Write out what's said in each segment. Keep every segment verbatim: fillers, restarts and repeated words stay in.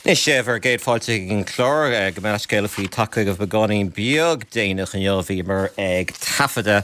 Anois bhur gcéad fáilte chuig an chlár gabh mo leithscéal faoi tagtha chugaibh beagáinín beag déanach inniu bhíomar ag taifeadadh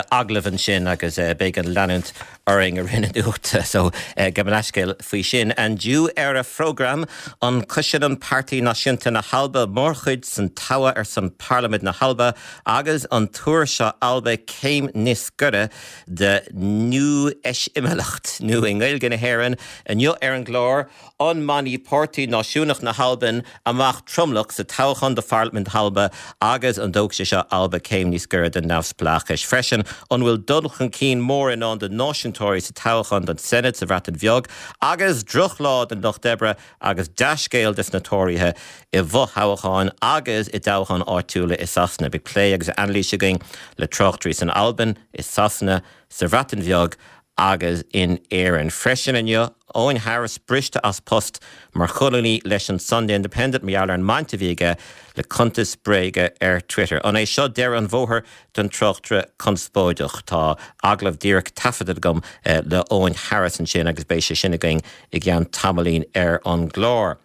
agallamh ansin agus beidh an leanúint orainn i rith na nuachta so gabh mo leithscéal faoi sin. Inniu ar an phrógram an gcoinníonn Páirtí Náisiúnta na hAlba mórchuid san togha ar son Parlaimint na hAlba agus an tabharfaidh seo Alba céim níos gaire de neamhspleáchas nó i nGaeilge na hÉireann inniu ar an gclár an mbainfidh Páirtí Náisiúnach na hAlban amach tromlach sa toghchán do Pharlaimint Alba agus an dtógfaidh sé seo Alba céim níos gaire den neamhspleáchas. Freisin an bhfuil dul chun cinn mór i ndán do náisiúntóirí sa toghchán don Senedd sa Bhreatain Bheag agus drochlá don lucht oibre agus dea-scéal dos na Tóraithe i bhfothoghcháin agus i dtoghcháin áitiúla i Sasana. Beidh plé agus anailís againn le tráchtairí san Albain, i Sasana, sa Bhreatain Bheag agus in Éirinn. Freisin inniu Eoghan Harris briste as post mar cholúnaí leis an Sunday Independent mar gheall ar an mbaint a bhí aige le cuntas bréige ar Twitter. An é seo deireadh an bhóthair don tráchtaire conspóideach Tá agallamh díreach taifeadta agam eh, le Eoghan Harris ansin agus beidh sé sin againn i gceann tamaillín ar an gclár.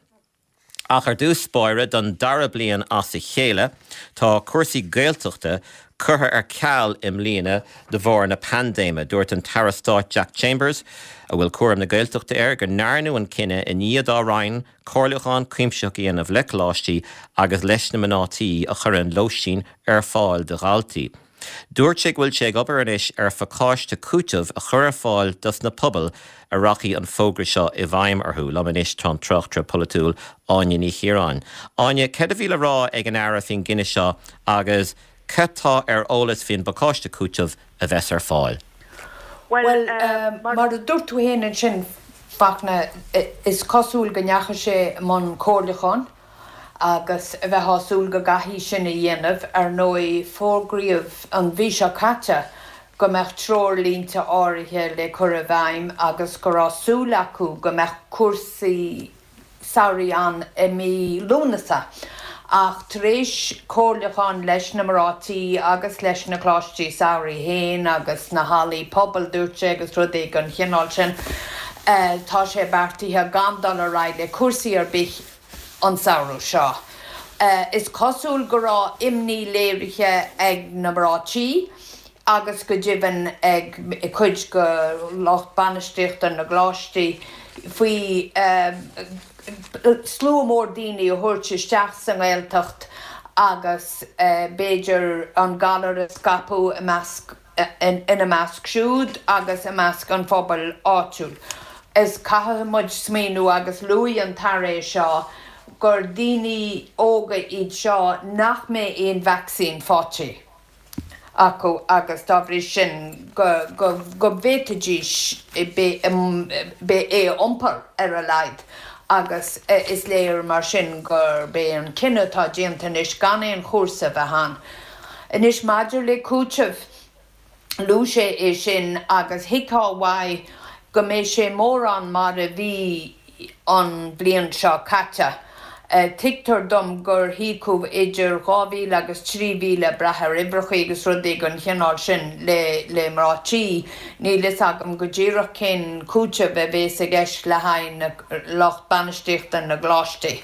Ach ar dtús báire don dara bliain as a chéile, tá cúrsaí Gaeltachta curtha ar ceal i mbliana de bharr na paindéime. Dúirt an tAire Stáit Jack Chambers, a bhfuil cúram na Gaeltachta air go ndearnadh an cinneadh i ndiaidh dá roinn comhairliúchán cuimsitheach a dhéanamh le coláistí agus leis na mná tí a chuireann lóistín ar fáil do dhaltaí. Dúirt sé go bhfuil sé ag obair anois ar phacáiste cúitimh a chur ar fáil dos na pobail a rachaidh an fógra seo i bhfeidhm orthu, liom anois tá an tráchtaire polaitiúil Áine Ní Chiaráin. Áine cad a bhí le rá ag an aire faoin gcinneadh seo agus cad tá ar eolas faoin bpacáiste cúitimh a bheas ar fáil. Well mar a dúirt tú féin ansin Fachtna is cosúil go ndeachaigh sé i mbun comhairliúcháin agus a bheith súil go gcaithfidh sin a dhéanamh ar ndóigh fógraíodh an mhí seo caite go mbeadh treoirlínte áirithe le cur i bhfeidhm agus go raibh súil acu go mbeadh cúrsaí samhraidh ann i mí Lúnasa. Ach tar éis comhairliúchán leis na mná tí agus leis na coláistí samhraidh féin agus na hallaí pobail dúirt sé agus rudaí den chineál sin, tá sé beartaithe gan dul ar aghaidh le cúrsaí ar bith an samhradh seo. Is cosúil go raibh imní léirithe ag na mná tí agus go deimhin ag cuid de lucht bainistíochta na gcoláistí faoi slua mór daoine a thabhairt isteach sa nGaeltacht agus b'fhéidir an galar a scaipeadh i measc ina measc siúd agus i measc an phobail áitiúil. Is caithfidh muid smaoineamh agus luaigh an tAire seo gur daoine óga iad seo nach mbeidh aon vacsaín faighte acu agus dá bhrí sin go go go bhféadfaidís é a iompar ar a laghad agus is léir mar sin gurb é an cinneadh atá déanta anois gan aon chúrsa bheith ann. Anois maidir le cúiteamh luaigh sé é sin agus thuigfeá uaidh go mbeidh sé mórán mar a bhí an bhliain seo caite. Tuigtear dom gur híocadh idir dhá mhíle agus trí mhíle brath ar uimhreacha agus rudaí den chineál sin le le mná tí. Níl fhios agam go díreach cén cúiteamh a bheas i gceist le haghaidh na lucht bainistíochta na gcoláistí.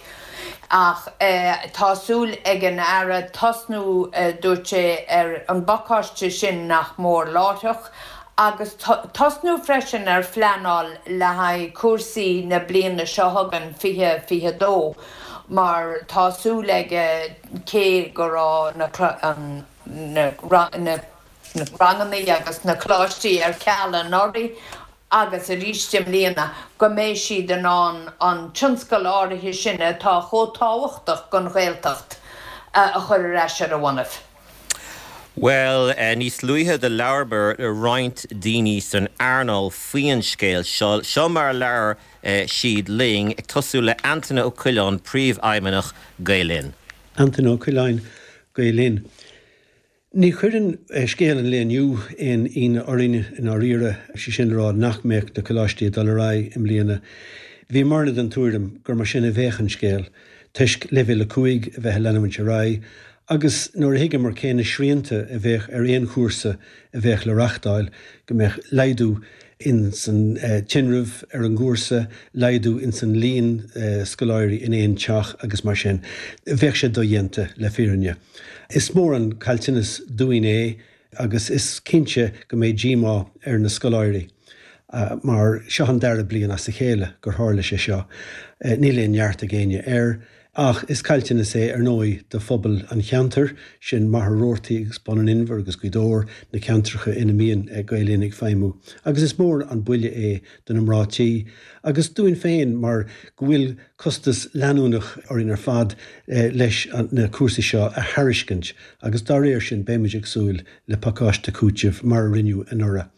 Ach tá súil ag an aire tosnú dúirt sé ar an bpacáiste sin nach mór láithreach, agus tosnú freisin ar phleanáil le haghaidh cúrsaí na bliana seo chugainn fiche fiche dó. mar tá súil aige cé go raibh na na na ranganna agus na coláistí ar ceal anuraidh agus arís i mbliana go mbeidh siad in ann an tionscal áirithe sin atá chomh tábhachtach don Ghaeltacht a chur ar ais ar a bhonnaibh. Well, níos luaithe do labhair roinnt daoine san earnáil faoin scéal seo seo mar a labhair siad linn ag tosú le Antaine Ó Coileáin príomhfheidhmeannach Gael Linn. Antaine Ó Coileáin Gael Linn. Ní chuireann scéal an lae inniu aon ionadh orainn i ndáiríre sé sin rá nach mbeadh na coláistí ag dul ar aghaidh i mbliana. Bhíomarna den tuairim gur mar sin a bheadh an scéal, toisc leibhéal a cúig a bheith ag leanúint ar aghaidh, agus nuair a thuigeamar cé na srianta a bheadh ar aon chúrsa a bheadh le reáchtáil go mbeadh laghdú ins an tinreamh ar an gcúrsa, laghdú ins an líon scoláirí in aon teach agus mar sin. Bheadh sé dodhéanta le fírinne. Is mór an caillteanas dúinn é agus is cinnte go mbeidh díomá ar na scoláirí. Mar seo an dara bliain as a chéile gur tharla sé seo. Níl aon neart ag éinne air, ach is caillteanas é ar ndóigh do phobal an cheantair, sin Machaire Rabhartaigh agus Bun an Inbhir agus Gaoth Dobhair, na ceantracha ina mbíonn Gael Linn ag feidhmiú. Agus is mór an buille é do na mná tí agus dúinn féin mar go bhfuil costas leanúnach orainn ar fad leis na cúrsaí seo a thairiscint agus dá réir sin beimid ag súil le pacáiste cúitimh mar a rinneadh anuraidh.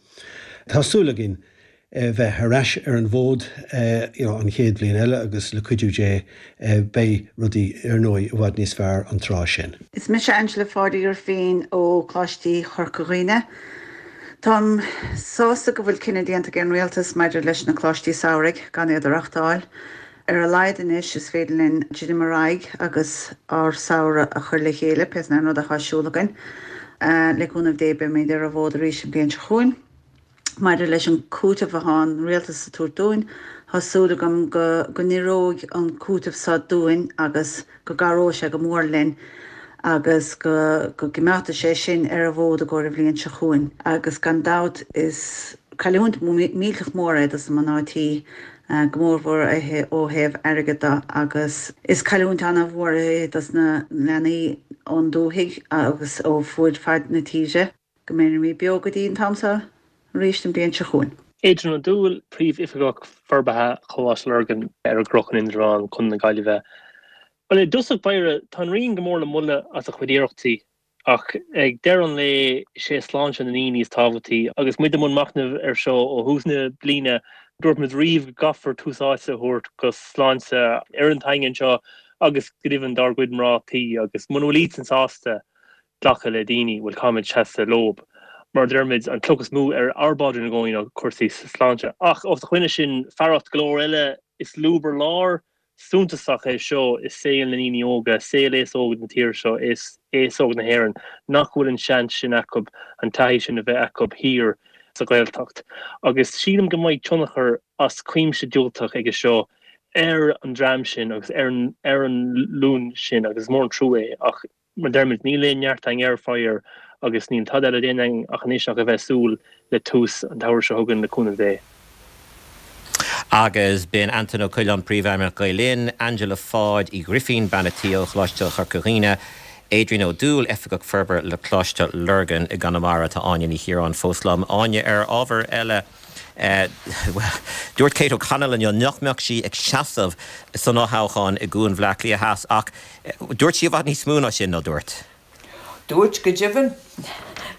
Tá súil againn bheith ar ais ar an bhfód an chéad bhliain eile agus le cuidiú Dé beidh rudaí ar ndóigh i bhfad níos fearr an tráth sin. Is mise Angela Pháidí Grifín ó Choláiste Chorca Dhuibhne. Táim sásta go bhfuil cinneadh déanta ag an rialtas maidir leis na coláistí samhraidh gan iad a reáchtáil. Ar a laghad anois is féidir linn dul ar aghaidh agus ár samhradh a chur le chéile, pé an rud atá ar siúl againn. Le cúnamh Dé beimid ar an bhfód arís an bhliain seo chugainn. Maidir leis an cúiteamh atá an rialtas a tabhairt dúinn, tá súil agam go go n-oireoidh an cúiteamh seo dúinn agus go gcabhróidh sé go mór linn agus go go gcoimeádfaidh sé sinn ar an bhfód i gcomhair an bhliain seo chugainn. Agus gan dabht is cailliúint millteach mór é dos na mná tí, go mórmhór ó thaobh airgid de agus is cailliúint an-mhór é dos na leanaí ón dúthaigh agus ó fuaid fad na tíre. Go mbeimid beo go dtí an t-am seo arís an bhliain seo chugainn. Adrian Ó Dúill, Príomhoifigeach Forbartha Choláiste Lurgan ar an gCrochan Indreabhán, Contae na Gaillimhe. Bhuel, i dtosach báire, tá an Roinn go mór le moladh as a chuid iarrachtaí, ach ag deireadh an lae is é sláinte na ndaoine is tábhachtaí. Agus muid i mbun machnaimh ar seo ó thús na bliana, dúirt muid riamh go gcaithfear tús áite a thabhairt go sláinte fhoireann an tsaingin seo agus go deimhin dár gcuid mná tí, agus muna bhfuil iadsan sásta glacadh le daoine, bhuel, caithfimid seasamh leob. Mar a deirimid, an cloch is mó ar ár bpaidrín i gcónaí ná cúrsaí sláinte. Ach os a choinne sin, fearacht go leor eile, is lúb ar lár suntasach é seo i saol na ndaoine óga, saol aos óg na tíre seo, aos óg na hÉireann, nach bhfuil an seans sin acu, an taithí sin a bheith acu thiar sa Ghaeltacht. Agus sílim go mbeidh tionchar as cuimse diúltach aige seo ar an dream sin agus ar an nglúin sin agus is mór an trua é. Ach mar deirimid, níl aon neart againn air, faraor, agus níl tada eile le déanamh againn ach anois ach a bheith ag súil le tús an tsamhraidh seo chugainn le cúnamh Dé. Agus b'in Antain Ó Coileáin, Príomhfheidhmeannach Gael Linn, Angela Pháid Uí Ghrifín, bean a' tí ó Choláiste Chorca Dhuibhne, Adrian Ó Dúill, Oifigeach Forbartha le Coláiste Lurgan i gConamara. Tá Áine Ní Chiaráin fós liom. Áine, ar ábhar eile, bhuel, dúirt Kate O'Connell inniu nach mbeadh sí ag seasamh san fhothoghchán i gCuan Bhaile Átha Cliath Theas ach dúirt sí i bhfad níos mó ná sin, ná dúirt? Dúirt, go deimhin.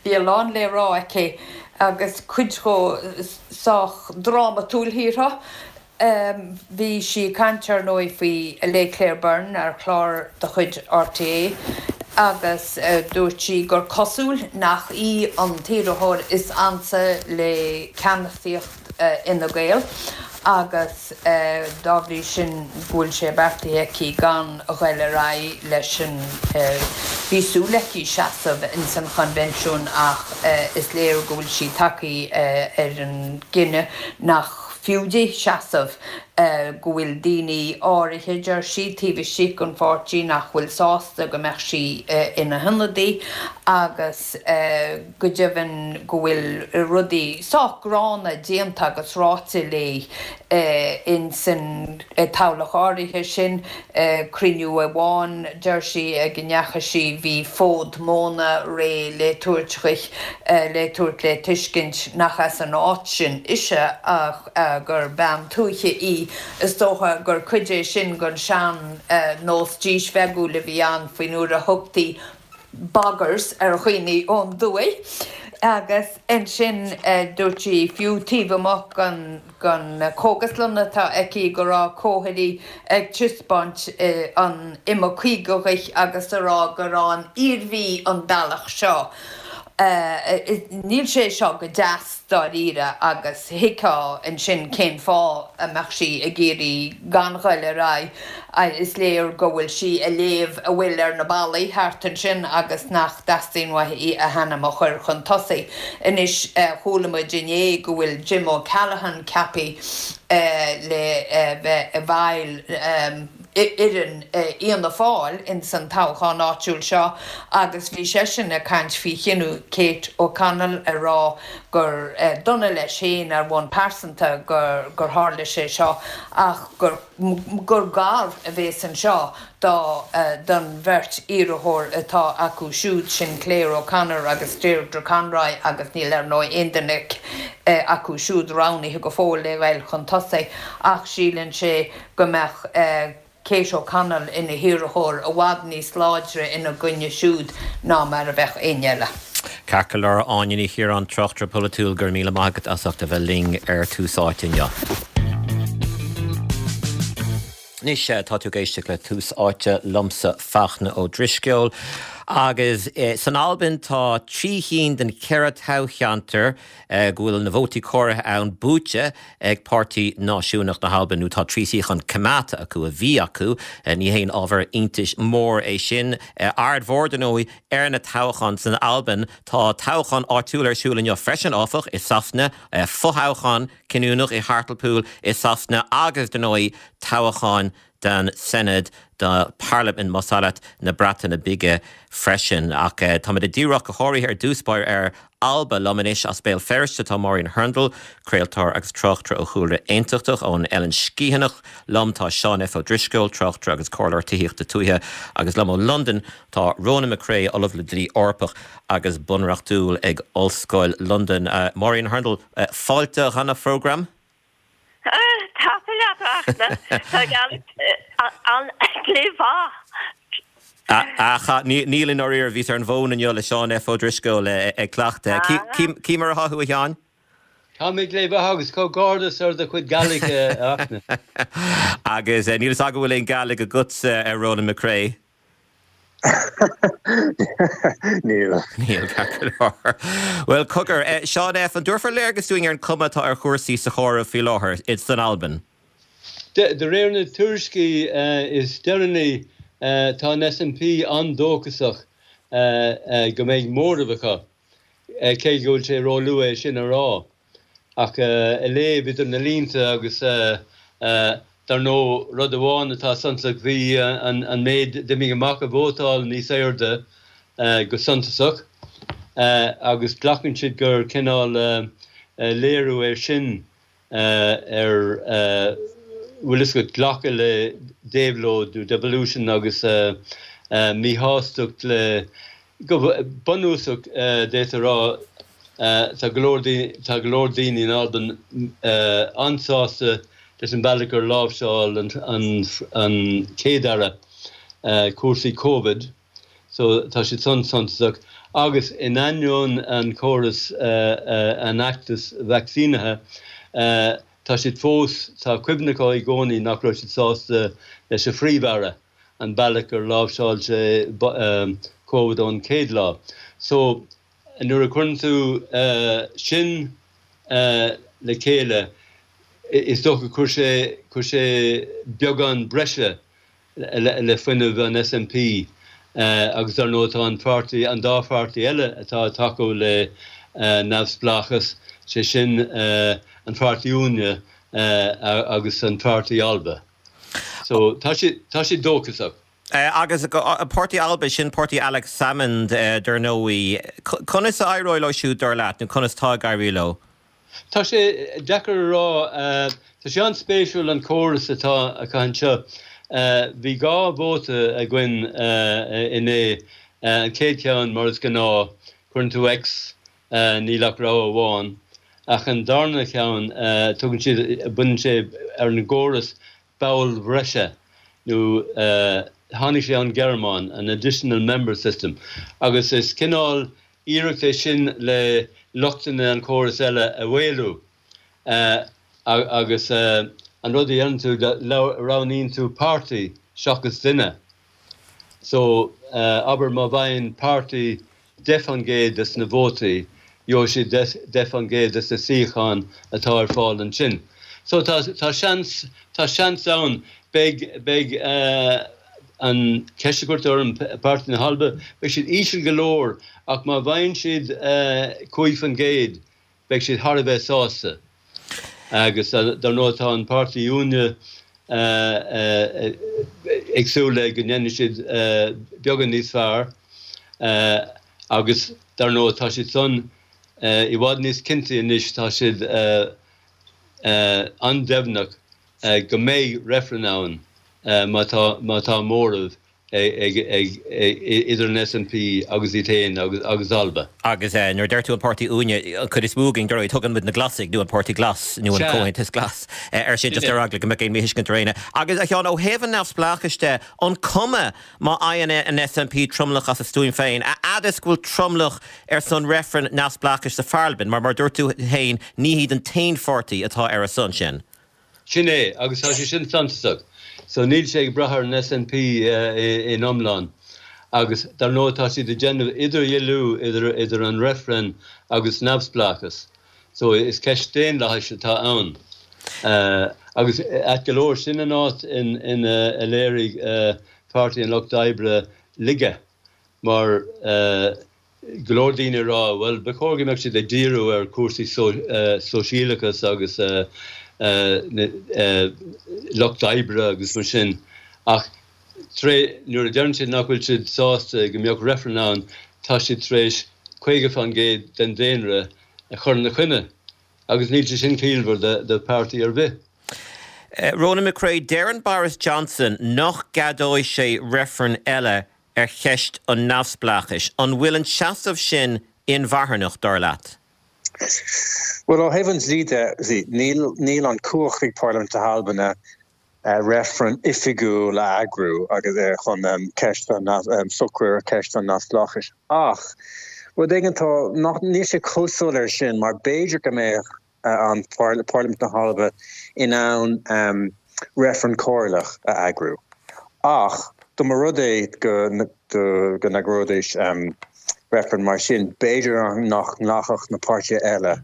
Bhí a lán le rá aici agus cuid dhó sách drámatúil, shílfeá. Bhí sí ag caint, ar ndóigh, faoi le Claire Byrne ar chlár de chuid RTÉ agus dúirt sí gur cosúil nach í an t-iarrthóir is ansa le ceannasaíocht Fhine Gael agus dá bhrí sin go bhfuil sé beartaithe aici gan a ghoil ar aghaidh leis an Bhí súil aici seasamh ins an choinbhinsiún ach is léir go bhfuil sí tagtha ar an gcinneadh nach fiú di seasamh, go bhfuil daoine áirithe, deir sí, taobh istigh den pháirtí nach bhfuil sásta go mbeadh sí ina hionadaí agus go deimhin go bhfuil rudaí sách gránna déanta agus ráite léi ins an toghlach áirithe sin. Cruinniú amháin, deir sí, ag a ndeachaigh sí, bhí fód móna réidh le tabhairt chuici le tabhairt le tuiscint nach as an áit sin ise ach gur bean tuaithe í. Is dócha gur cuid é sin den sean-nós dísbheagúil a bhí ann faoin uair a thugtaí boggers ar dhaoine ón dtuaith. Agus ansin dúirt sí, fiú taobh amuigh den den chógaslann atá aici, go raibh comharthaí ag taispeáint an Ime Caoga dhuit agus a rá gur ón Iarmhí an bealach seo. Níl sé seo go deas dáiríre agus thuigfeá ansin cén fáth a mbeadh sí ag iarraidh gan ghoil ar aghaidh. Is léir go bhfuil sí ag léamh a bhfuil ar na ballaí thart ansin agus nach dteastaíonn uaithi a hainm a chur chun tosaigh. Anois chuala muid inné go bhfuil Jim O'Callaghan ceaptha le bheith i bhfeighil fhoireann Fhianna Fáil ins an toghchán áitiúil seo agus bhí seisean ag caint faoi chinneadh Kate O'Connell ag rá gur dona leis féin ar bhonn pearsanta gur gur tharla sé seo ach gur gur gar a bhéas anseo do don bheirt iarrthóir atá acu siúd, sin Claire O'Connor agus Deirdre Conroy agus níl ar ndóigh aon duine acu siúd roghnaithe go fóill le ghoil chun tosaigh ach síleann sé go mbeadh Kate O'Connell ina hiarrthóir i bhfad níos láidre ina gcoinne siúd ná mar a bheadh éinne eile. Ceart go leor, Áine Ní Chiaráin, tráchtaire polaitiúil, go raibh míle maith agat as ucht a bheith linn ar Tús Áite inniu. Anois tá tú ag éisteacht le Tús Áite liomsa Fachtna Ó Drisceoil agus san Albain tá trí chinn den cheithre toghcheantar go bhfuil na vótaí comhairthe ann buaite ag Páirtí Náisiúnach na hAlban nó tá trí shuíochán coimeádta acu a bhí acu. Ní haon ábhar iontais mór é sin. Aird mhór dar ndóigh ar na toghcháin san Albain. Tá toghchán áitiúil ar siúl inniu freisin áfach i Sasana, fothoghchán cinniúnach i Hartlepool i Sasana agus dar ndóigh toghcháin don Senedd do Parlaimint más ea leat na Breataine Bige freisin. Ach táimid ag díriú go háirithe ar dtús báire ar Alba liom anois as Béal Feirste tá Máirín Hurndall, craoltóir agus tráchtaire ó chúlra aontachtach ón Eilean Sgitheanach. Liom tá Seán F. Ó Drisceoil, tráchtaire agus comhairleoir tithíochta tuaithe agus liom ó Londain tá Ronan McCrea, Ollamh le Dlí Eorpach agus Bunreachtúil ag Ollscoil Londain. Máirín Hurndall, fáilte chuig an phrógram. Tá leat tá an-mhaith. Ach níl i ndáiríre bhíos ar an bhfón inniu le Seán F. Ó Drisceoil ag cleachtadh. Cé mar atá tú a Sheáin? Tá mé go maith agus comhghairdeas ar do chuid Gàidhlig a Fhachtna. Agus níl a fhios agam an bhfuil aon Gàidhlig agatsa a Ronan McCrea. Níl. Níl ceart go leor. Well cogar, Seán F. an dtabharfá léargas dúinn ar an chuma atá ar chúrsaí sa chomhaireamh faoi láthair san Albain? De réir na tuairiscí is deireanaí tá an SNP an-dóchasach go mbeidh móramh acu, cé go bhfuil sé róluath é sin a rá. Ach ag léamh idir na línte agus dar ndóigh rud amháin atá suntasach bhí an méid d'imigh amach a vótáil níos airde go suntasach agus glacann siad gur cineál léiriú é sin ar bhfuil a fhios agat glacadh le déabhlóid nó devolution agus míshástacht le go bunúsach d'fhéadfá a rá tá go leor tá go leor daoine in Albain an-sásta leis an bealach gur láimhseáil an an chéad-aire cúrsaí Covid so tá siad san suntasach agus in ainneoin an córas an fheachtas vacsaínithe tá siad fós tá cuimhne acu i gcónaí nach raibh siad sásta leis an phríomh-aire an bealach gur láimhseáil sé Covid ón chéad lá. So nuair a chuireann tú sin le chéile is dócha chuir sé chuir sé beagán breise le fuinneamh an SNP agus dar ndóigh tá an pháirtí an dá pháirtí eile atá ag tacú le neamhspleáchas sé sin an Pháirtí Uaine agus an Pháirtí Alba. So tá sé tá sé dóchasach. Agus Páirtí Alba sin Páirtí Alex Salmond dar ndóigh. Conas a éireoidh leo siúd dar leat nó conas tá ag éirí leo? Tá sé deacair a rá tá sé an-spéisiúil an córas atá acu anseo. Bhí dhá vóta againn inné an chéad cheann mar is gnáth cuireann tú X níl ach rogha amháin ach an darna ceann tugann siad baineann sé ar an gcóras ball breise nó tháinig sé ón Ghearmáin an additional member system agus is cineál iarracht é sin le lochtanna an chóras eile a mhaolú agus an rud a dhéanann tú roghnaíonn tú páirtí seachas duine. So abair má bhfaigheann páirtí deich faoin gcéad des na vótaí, gheobhaidh siad deich faoin gcéad des na suíocháin atá ar fáil ansin. So tá tá seans tá seans ann beidh beidh an cheist a cuirtear orm Páirtí na hAlba, beidh siad íseal go leor ach má bhfaigheann siad cúig faoin gcéad beidh siad thar a bheith sásta. Agus dar ndóigh tá an Páirtí Uaine ag súil le go ndéanfaidh siad beagán níos fearr agus dar ndóigh tá siad san i bhfad níos cinnte anois, tá siad an-deimhneach go mbeidh reifreann ann má tá má tá móramh ag idir an SNP agus iad féin agus Alba. Agus nuair a deir tú an Páirtí Uaine, an chuid is mó againn, dar ndóigh, tugann muid na Glasaigh nó an Páirtí Glas nó an Comhaontas Glas air sin, just ar eagla go mbeadh aon mhíthuiscint ar éinne. Agus a Sheáin, ó thaobh an neamhspleáchais de, an cuma má fhaigheann an SNP tromlach as a stuaim féin, a fhad is go bhfuil tromlach ar son reifreann neamhspleáchais sa Pharlaimint, mar mar a dúirt tú féin, ní hiad an t-aon pháirtí atá ar a son sin. Sin é, agus tá sé sin suntasach. So níl sé ag brath ar an SNP in iomlán. Agus dar ndóigh tá siad ag déanamh idirdhealú idir idir an reifreann agus neamhspleáchas. So is ceist daonlathais atá ann. Agus ait go leor, sin an áit in ina a léirigh Páirtí an Lucht Oibre laige mar go leor daoine ag rá, bhuel, ba chóir go mbeadh siad ag díriú ar chúrsaí sóisialachas agus lucht oibre agus mar sin, ach nuair a deireann siad nach bhfuil siad sásta go mbeadh reifreann ann, tá siad tar éis caoga faoin gcéad den daonra a chur ina choinne, agus níl sé sin ciallmhar do pháirtí ar bith. Ronan McCrea, Deireann Boris Johnson nach gceadóidh sé reifreann eile ar cheist an neamhspleáchais. An bhfuil an seasamh sin inmharthanach, dar leat? Bhuel, ó thaobh an dlí de, níl níl an cumhacht ag Parlaimint na hAlban reifreann oifigiúil a eagrú agus chun ceist an socrú ar cheist an neamhspleáchais. Ach rud éigin tá nach níl sé chomh soiléir sin mar b'fhéidir go mbeadh an Parlaimint na hAlba in ann reifreann comhairleach a eagrú. Ach dá mba rud é go go n-eagróidís reifreann mar sin, b'fhéidir nach nglacfadh na páirtithe eile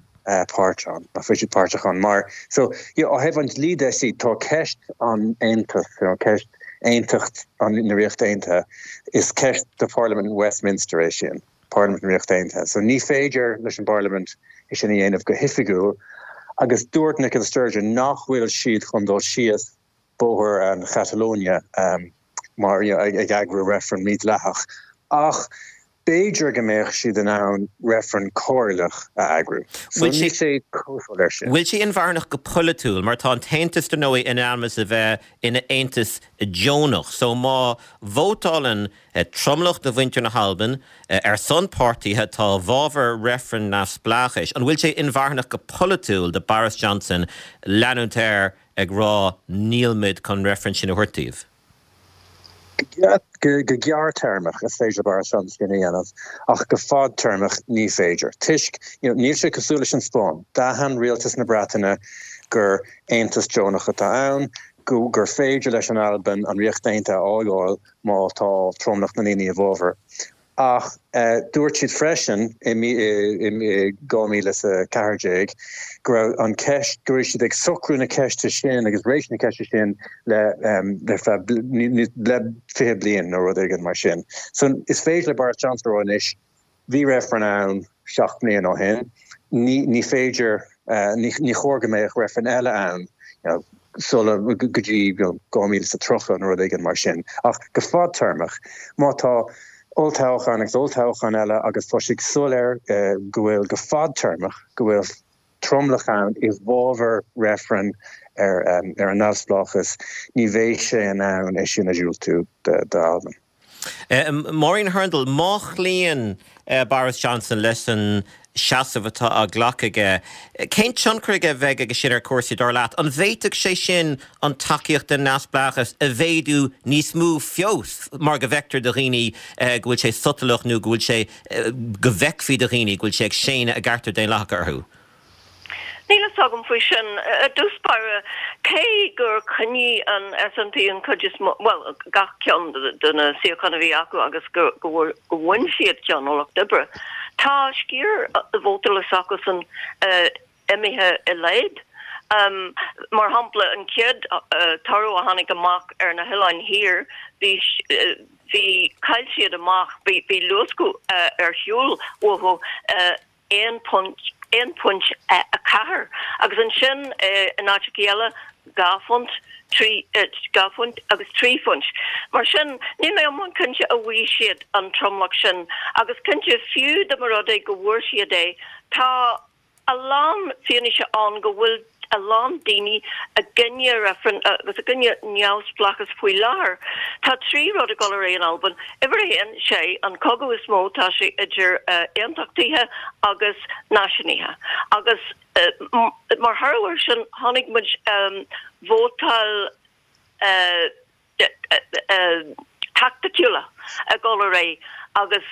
páirt ann, nach bhfuil siad páirteach ann mar so yeah ó thaobh an dlí de see tá ceist an Aontais, you know, ceist aontacht an na Ríochta Aontaithe, is ceist do Pharlaimint Westminster é sin. Parlaimint na Ríochta Aontaithe. So ní féidir leis an bParlaimint é sin a dhéanamh go hoifigiúil agus dúirt Nicola Sturgeon nach bhfuil siad chun dul síos bóthar an Chatalonia mar you know, ag eagrú reifreann mídhleathach. Ach b'fhéidir go mbeadh siad in ann reifreann comhairleach a eagrú. So níl sé chomh soiléir sin. Bhfuil sé inmharthanach go polaitiúil mar tá an tAontas dar ndóigh in ainm is a bheith ina aontas deonach. So má vótálann tromlach de mhuintir na hAlban ar son páirtithe atá i bhfabhar reifreann neamhspleáchais, an bhfuil sé inmharthanach go polaitiúil do Boris Johnson leanúint air ag rá níl muid chun reifreann sin a thabhairt daoibh? Go gearrthéarmach is féidir le Boris Johnson sin a dhéanamh ach go fadtéarmach ní féidir. Toisc you know, níl sé cosúil leis an Spáinn. D'aithin rialtas na Breataine gur aontas deonach atá ann, go gur féidir leis an Albain an Ríocht Aontaithe a fhágáil má tá tromlach na ndaoine i bhfabhar. Ach dúirt siad freisin i dhá mhíle is a ceathair déag go raibh an ceist, go raibh siad ag socrú na ceiste sin agus réiteach na ceiste sin le le feadh le fiche bliain nó rud éigin mar sin. So is féidir le Boris Johnson a rá anois, bhí reifreann ann seacht mbliana ó shin, ní ní féidir, ní ní chóir go mbeadh reifreann eile ann you know, sula go dtí you know, dhá mhíle is a tríocha nó rud éigin mar sin. Ach go fadtéarmach, má tá olltoghchán agus olltoghchán eile agus tá sé soiléir go bhfuil go fadtéarmach go bhfuil tromlach ann i bhfabhar reifreann ar ar an neamhspleáchas, ní bheidh sé in ann é sin a dhiúltú d'Albain. Máirín Hurndall, má chloíonn Boris Johnson leis an seasamh atá á ghlacadh aige, cén tionchar a bheidh aige sin ar chúrsaí, dar leat? An bhféadfadh sé sin an tacaíocht don neamhspleáchas a mhéadú níos mó fós mar go bhfeictear do dhaoine go bhfuil sé sotalach nó go bhfuil sé, go bhfeicfí do dhaoine go bhfuil sé ag séanadh a gcearta daonlathacha orthu? Níl a fhios agam faoi sin. I dtús báire, cé gur choinnigh an SNP an chuid is mó, bhuel, gach ceann de na suíocháin a bhí acu agus go bhain siad ceann ó Lucht Oibre, tá sciar vótála s'acusan imithe i laghad. Mar shampla, an chéad toradh a tháinig amach ar na hOileáin Thiar, bhí, bhí, chaill siad amach, bhí luascadh ar shiúl uathu, aon phunt, aon phointe a ceathair, agus ansin in áiteacha eile dhá phunt, trí, dhá phunt agus trí phunt. Mar sin, níl mé iomlán cinnte an bhfaighidh siad an tromlach sin, agus cinnte, fiú dá mba rud é go bhfuair siad é, tá a lán fianaise ann go bhfuil a lán daoine i gcoinne reifreann agus i gcoinne neamhspleáchas faoi láthair. Tá trí rud ag dul ar aghaidh in Albain. Uimhir a haon, sé an cogadh is mó, tá sé idir aontachtaithe agus náisiúnaithe. Agus mar thoradh air sin chonaic muid vótáil taicticiúla ag dul ar aghaidh agus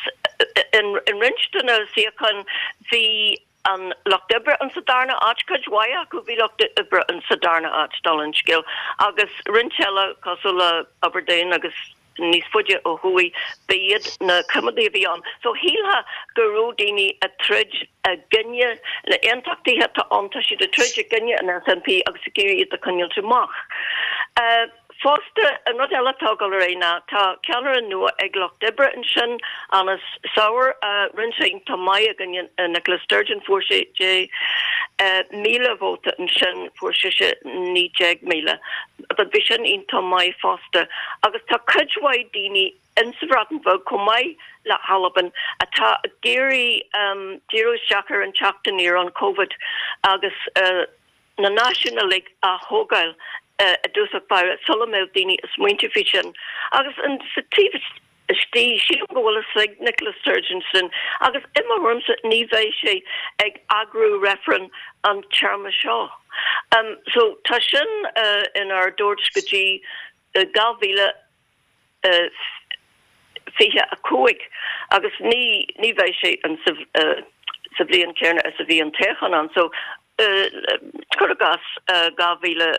in roinnt de na suíocháin bhí an Lucht Oibre in sa darna áit, cuid mhaith acu, bhí Lucht Oibre in sa darna áit, dála an scéil, agus roinnt eile cosúil le Aberdeen agus níos faide ó thuaidh, ba iad na coimeádaigh a bhí ann. So shílfeá go raibh daoine ag troid i gcoinne na aontachtaithe atá ann, tá siad ag troid i gcoinne an SNP agus ag iarraidh iad a choinneáilt amach. Fosta, an rud eile atá ag dul ar aghaidh ná tá ceannaire nua ag Lucht Oibre ansin, Anas Sarwar. Rinne sé iontach maith i gcoinne Nicola Sturgeon, fuair sé deich míle vóta ansin, fuair sise naoi déag míle. But bhí sin iontach maith fosta. Agus tá cuid mhaith daoine insa Bhreatain Bheag chomh maith le hAlbain atá ag iarraidh díriú isteach ar an teacht aniar, an Covid agus na náisiúin uilig a thógáil i dtosach báire sula mbeadh daoine ag smaointiú faoi sin. Agus sa taobh istigh, sílim go bhfuil a fhios ag Nicola Sturgeon sin agus i mo thuairimse ní bheidh sé ag eagrú reifreann an téarma seo. So tá sin inár dtabhairt go dtí dhá mhíle fiche a cúig agus ní ní bheidh sé an sa bhliain céanna is a bhí an toghchán ann so cuir i gcás dhá mhíle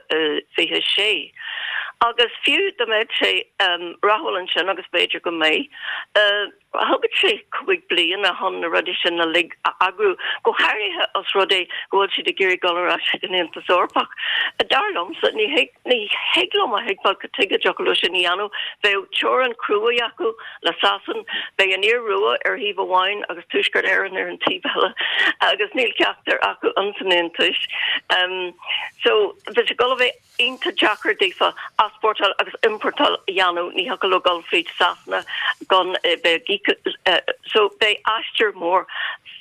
fiche sé. Agus fiú dá mbeadh sé rathúil ansin agus b'fhéidir go mbeidh, thógfadh sé cúig bliana chun na rudaí sin uilig a eagrú, go háirithe os rud é go bhfuil siad ag iarraidh dul ar ais chuig an Aontas Eorpach. Dar liomsa, ní thig ní thig liom a thuigbheáil cad tuige a dtiocfadh leo sin a dhéanamh. Bheadh teorainn cruaidh acu le Sasain, beidh an Iorua ar thaobh amháin agus Tuaisceart Éireann ar an taobh eile agus níl ceachtar acu ins an Aontas. So, bheadh sé ag dul a bheith iontach deacair daofa easpórtáil agus iompórtáil a dhéanamh, ní thiocfadh leo dul fríd Sasana gan bheith ag íoc so beidh aistear mór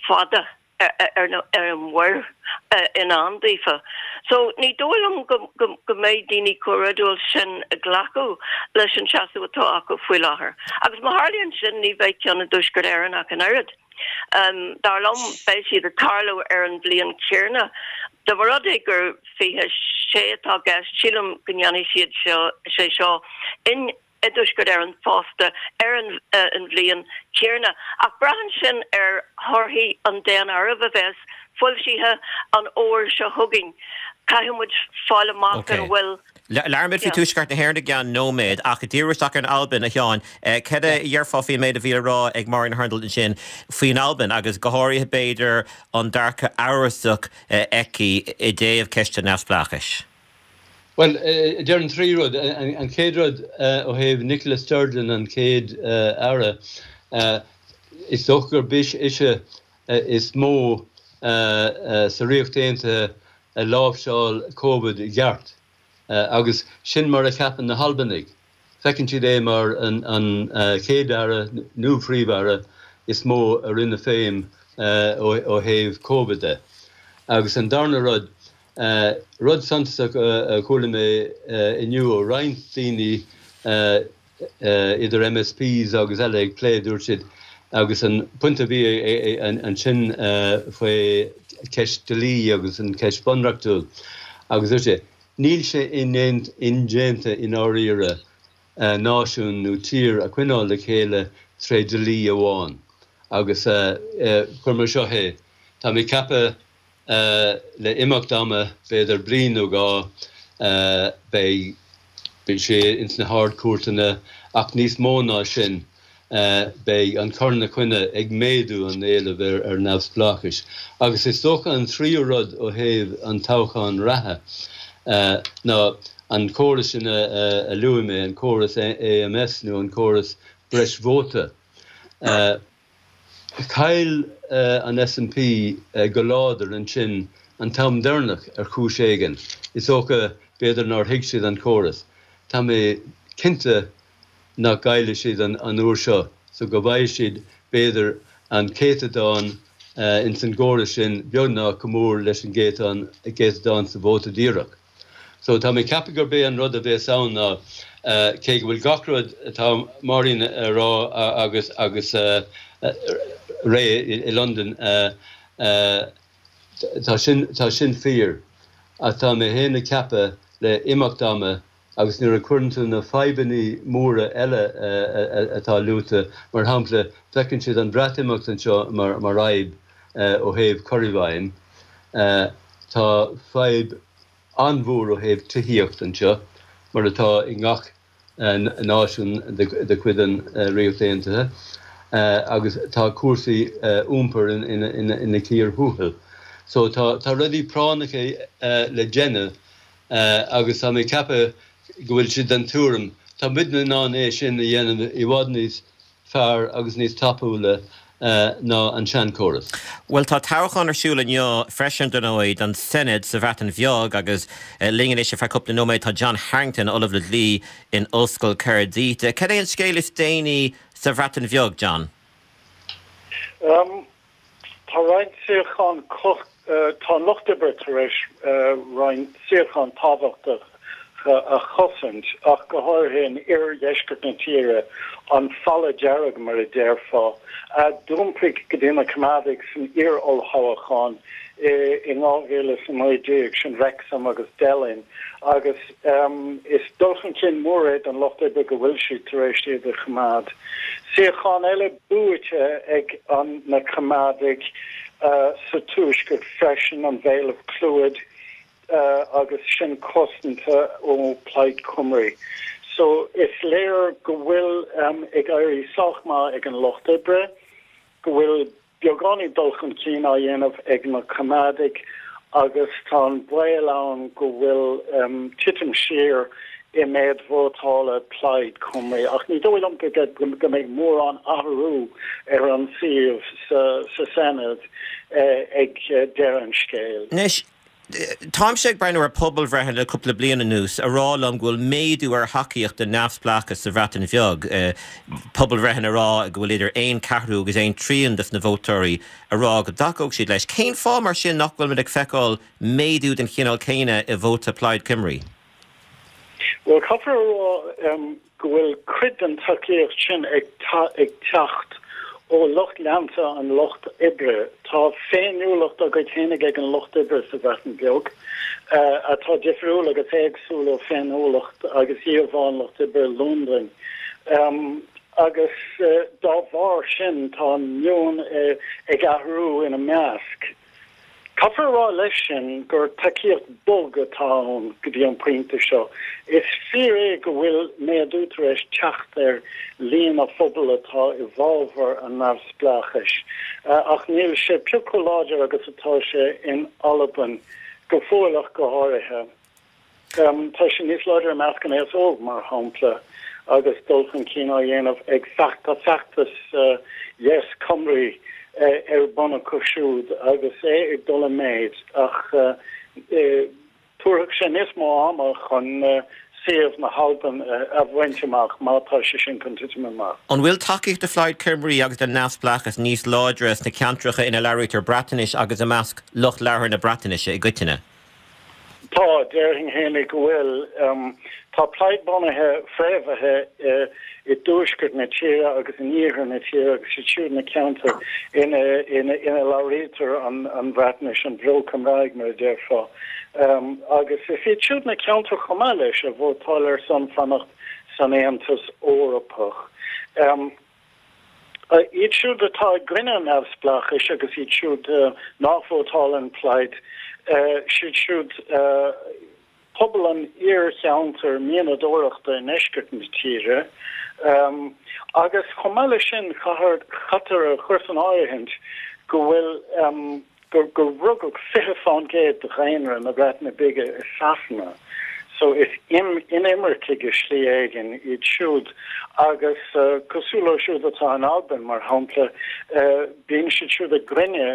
fada ar ar an mhuir i ndán daofa. So ní dóigh liom go go go mbeidh daoine chomh réadúil sin ag glacadh leis an seasamh atá acu faoi láthair. Agus má tharlaíonn sin ní bheidh ceann i dTuaisceart Éireann ach an oiread. Dar liom, beidh siad ag tarlú ar an bhliain chéanna. Dá mba rud é gur fiche sé atá i gceist, sílim go ndéanfaidh siad seo, sé seo in i dTuaisceart Éireann fosta ar an an bhliain chéanna. Ach braitheann sin ar thorthaí an daonáirimh a bheas foilsithe an fhómhar seo chugainn. Caithfidh muid fáil amach an bhfuil. Labhróimid faoi Tuaisceart na hÉireann i gceann nóiméad, ach díriú isteach ar an Albain, a Sheáin. Cad a dhéarfá faoin méid a bhí le rá ag Máirín Hurndall ansin faoin Albain agus go háirithe b'fhéidir an dearcadh amhrasach aici i dtaobh ceist an neamhspleáchais? Bhuel, déarfainn trí rud. An chéad rud ó thaobh Nicola Sturgeon, an chéad Aire, is dócha gurb ise is mó sa Ríocht Aontaithe a láimhseáil Covid i gceart agus sin mar a cheapann na hAlbanaigh. Feiceann siad é mar an Chéad-Aire nó Phríomh-Aire is mó a rinne feidhm ó thaobh Covid de. Agus an darna rud, rud suntasach a chuala mé inniu ó roinnt daoine, idir MSPs agus eile ag plé, dúirt siad, agus an pointe a bhí ansin faoi cheist dlí agus an cheist bhunreachtúil, agus dúirt sé, níl sé indéanta i ndáiríre náisiún nó tír a choinneáil le chéile tré dlí amháin. Agus cuir mar seo é, tá mé ag ceapadh le imeacht ama, b'fhéidir bliain nó dhá, beidh beidh sé ins na hArd-Chúirteanna ach níos mó ná sin, beidh an cur ina choinne ag méadú an éileamh ar ar neamhspleáchais. Agus is dócha an tríú rud ó thaobh an toghcháin reatha ná an córas sin a luaigh mé, an córas A M S nó an córas breis vóta. Chaill an S N P go láidir ansin an t-am deireanach ar chúis éigin. Is dócha b'fhéidir nár thuig siad an córas. Tá mé cinnte nach gcaillfidh siad an uair seo, so go bhfaighidh siad b'fhéidir an céatadán ins an gcóras sin beagnach chomh mór leis an gcéatadán sa vóta díreach. So tá mé ag ceapadh gurb é an rud a bheas ann ná cé go bhfuil gach rud atá Máirín a rá agus agus Ray i Londain, tá sin tá sin fíor, ach tá mé féin ag ceapadh le imeacht ama agus nuair a chuireann tú na fadhbanna móra eile atá luaite, mar shampla, feiceann siad an Bhreatimeacht anseo mar mar fhadhb ó thaobh cur i bhfeidhm. Tá fadhb an-mhór ó thaobh tithíocht anseo, mar atá i ngach náisiún de chuid an Ríocht Aontaithe, agus tá cúrsaí iompair ina cíor thuathail. So tá tá rudaí práinneacha le déanamh agus tá mé ag ceapadh go bhfuil siad den tuairim, tá muidne in ann é sin a dhéanamh i bhfad níos fearr agus níos tapúla ná an seanchóras. Bhuel, tá toghchán ar siúl inniu freisin, dar ndóigh, don Senedd sa Bhreatain Bheag agus linn anois ar feadh cúpla nóiméad tá John Harrington, Ollamh le Dlí in Ollscoil Caerdydd. Cad é an scéal is déanaí sa Bhreatain Bheag, John? Um, tá roinnt suíochán tá an Lucht Oibre tar éis roinnt suíochán tábhachtach a chosaint, ach go háirithe in iardheisceart na tíre, an falla dearg mar a déarfá, a d'iompaigh go dtí na Coimeádaigh san iar-olltoghchán in dhá mhíle is a naoi déag, sin Wrexham agus Delyn, agus is dul chun cinn mór é don Lucht Oibre go bhfuil siad tar éis iad a choimeád. Suíochán eile buaite ag an na Coimeádaigh sa tuaisceart freisin, an Vale of Clwyd, agus sin cosanta ó Plaid Cymru. So is léir go bhfuil um, ag éirí sách maith ag an Lucht Oibre, go bhfuil beagáinín dul chun cinn á dhéanamh ag na Coimeádaigh agus tá an baol ann go bhfuil um, titim siar i méid vótála Plaid Cymru. Ach ní dóigh liom go go mbeidh mórán athrú ar an suíomh sa, sa Senedd eh, ag eh, deireadh an scéil. Anois, táimse ag breathnú ar pobalbhreitheanna le cúpla bliain anuas a rá liom go bhfuil méadú ar thacaíocht don neamhspleáchas sa Bhreatain Bheag. Pobalbhreitheanna a rá go bhfuil idir aon ceathrú agus aon trian de na vótóirí a rá go dtacódh siad leis. Cén fáth mar sin nach bhfuil muid ag feiceáil méadú den chineál céanna i vóta Plaid Cymru? Well caithfear a rá um, go bhfuil cuid den tacaíocht sin ag ag teacht ó lucht leanta an Lucht Oibre. Tá féiniúlacht dá gcuid féinig ag an Lucht Oibre sa Bhreatain Bheag uh, atá difriúil agus éagsúil ó féiniúlacht agus íomhá an Lucht Oibre Londain. Um, agus uh, dá bharr sin tá an meon uh, ag athrú ina measc. Caithfear a rá leis sin gur tacaíocht bog atá ann go dtí an pointe seo. Is fíor é go bhfuil méadú tar éis teacht ar líon an phobail atá i bhfabhar an neamhspleáchais, ach níl sé pioc chomh láidir agus atá sé in Albain go fóill ach go háirithe. Um, tá sé níos láidre i measc an aos óg mar shampla agus dul chun cinn á dhéanamh ag feachta feachtas uh, Yes Cymru ar bun acu siúd agus é ag dul i méid ach tabharfaidh sé níos mó ama chun suíomh na hAlban a bhaint amach má tá sé sin chun titim amach. An bhfuil tacaíocht do Phlaid Cymru agus don neamhspleáchas níos láidre sna ceantracha ina labhraítear Breatnais agus i measc lucht labhartha na Breatnaise i gcoitinne? Tá déarfainn féinig go bhfuil um, tá Plaid bunaithe fréamhaithe uh, i dtuaisceart na tíre agus in iarthar na tíre agus siad siúd na ceantair ina ina ina labhraítear an an Bhreatnais an Bheo-Chymraeg mar a déarfá. Um, agus is iad siúd na ceantair chomh maith leis a vótáil ar son fanacht san Aontas Eorpach. Um, Iad siúd atá i gcoinne an neamhspleáchais agus iad siúd nach vótálann Plaid, siad siúd pobal an iarcheantair mianadóireachta i ndeisceart na tíre. Agus chomh maith leis sin, caithfear a chur san áirithint go bhfuil gur gur rugadh fiche fán gcéad de dhaonra na Breataine Bige i Sasana. So is inimircigh i slí éigin iad siúd agus cosúil leo siúd atá in Albain, mar shampla, bíonn siad siúd i gcoinne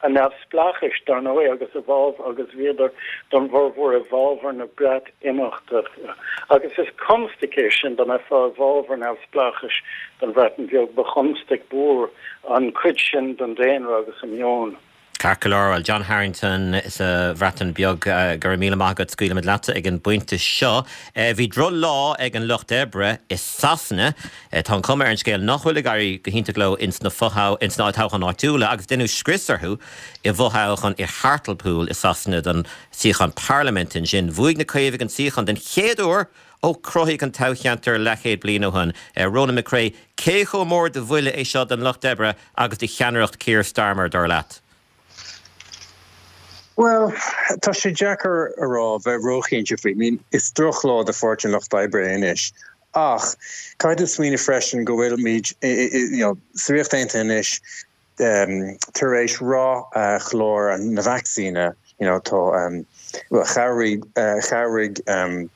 an neamhspleáchais, dar ndóigh, agus i bhfabhar agus bhíodar don bhformhór i bhfabhar na Breatimeachta. Agus is constaic é sin dá mbeifeá i bhfabhar neamhspleáchais don Bhreatain Bheag, ba chonstaic mhór an chuid sin den daonra agus a meon. Ceart go leor, bhuel, John Harrington sa Bhreatain Bheag, go raibh míle maith agat, scaoilfimid leatsa ag an bpointe seo. Bhí droch-lá ag an Lucht Oibre i Sasana. Tá an chuma ar an scéal nach bhfuil ag éirí go hiontach leo ins na ins na toghcháin áitiúla agus deineadh scrios orthu i bhfothoghchán i Hartlepool i Sasana don suíochán parlaiminte ansin. Bhuaigh na Caomhaigh an suíochán den chéad uair ó cruthaíodh an toghcheantar leathchéad bliain ó shin. Ronan McCrea, cé chomh mór de bhuille é seo don Lucht Oibre agus do cheannaireacht Keir Starmer, dar leat? Bhuel, tá sé deacair a rá bheith róchinnte faoi. I mean, is drochlá do Pháirtí an Lucht Oibre anois. Ach caithfidh tú smaoineamh freisin go bhfuilimid you know, sa Ríocht Aontaithe anois um, tar éis rath uh, chlár na vacsaíne, you know, tá um, well, chabhraigh, uh, chabhraigh um,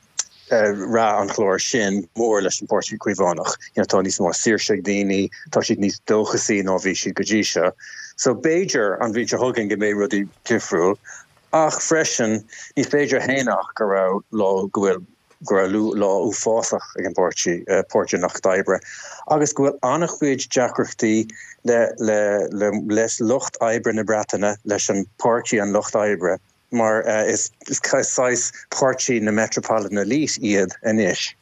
rath an chláir sin mór leis an Páirtí Caomhánach. You know, tá níos mó saoirse ag daoine, tá siad níos dóchasaí ná bhí siad go dtí seo. So b'fhéidir an bhliain seo chugainn go mbeidh rudaí difriúil, ach freisin ní féidir a shéanadh go raibh lá go bhfuil go raibh lá uafásach ag an bpáirtí uh, Páirtí an Lucht Oibre agus go bhfuil an-chuid deacrachtaí le le le leis lucht oibre na Breataine leis an Páirtí an Lucht Oibre mar uh, is, is saghas páirtí na Metropolitan Elite iad anois.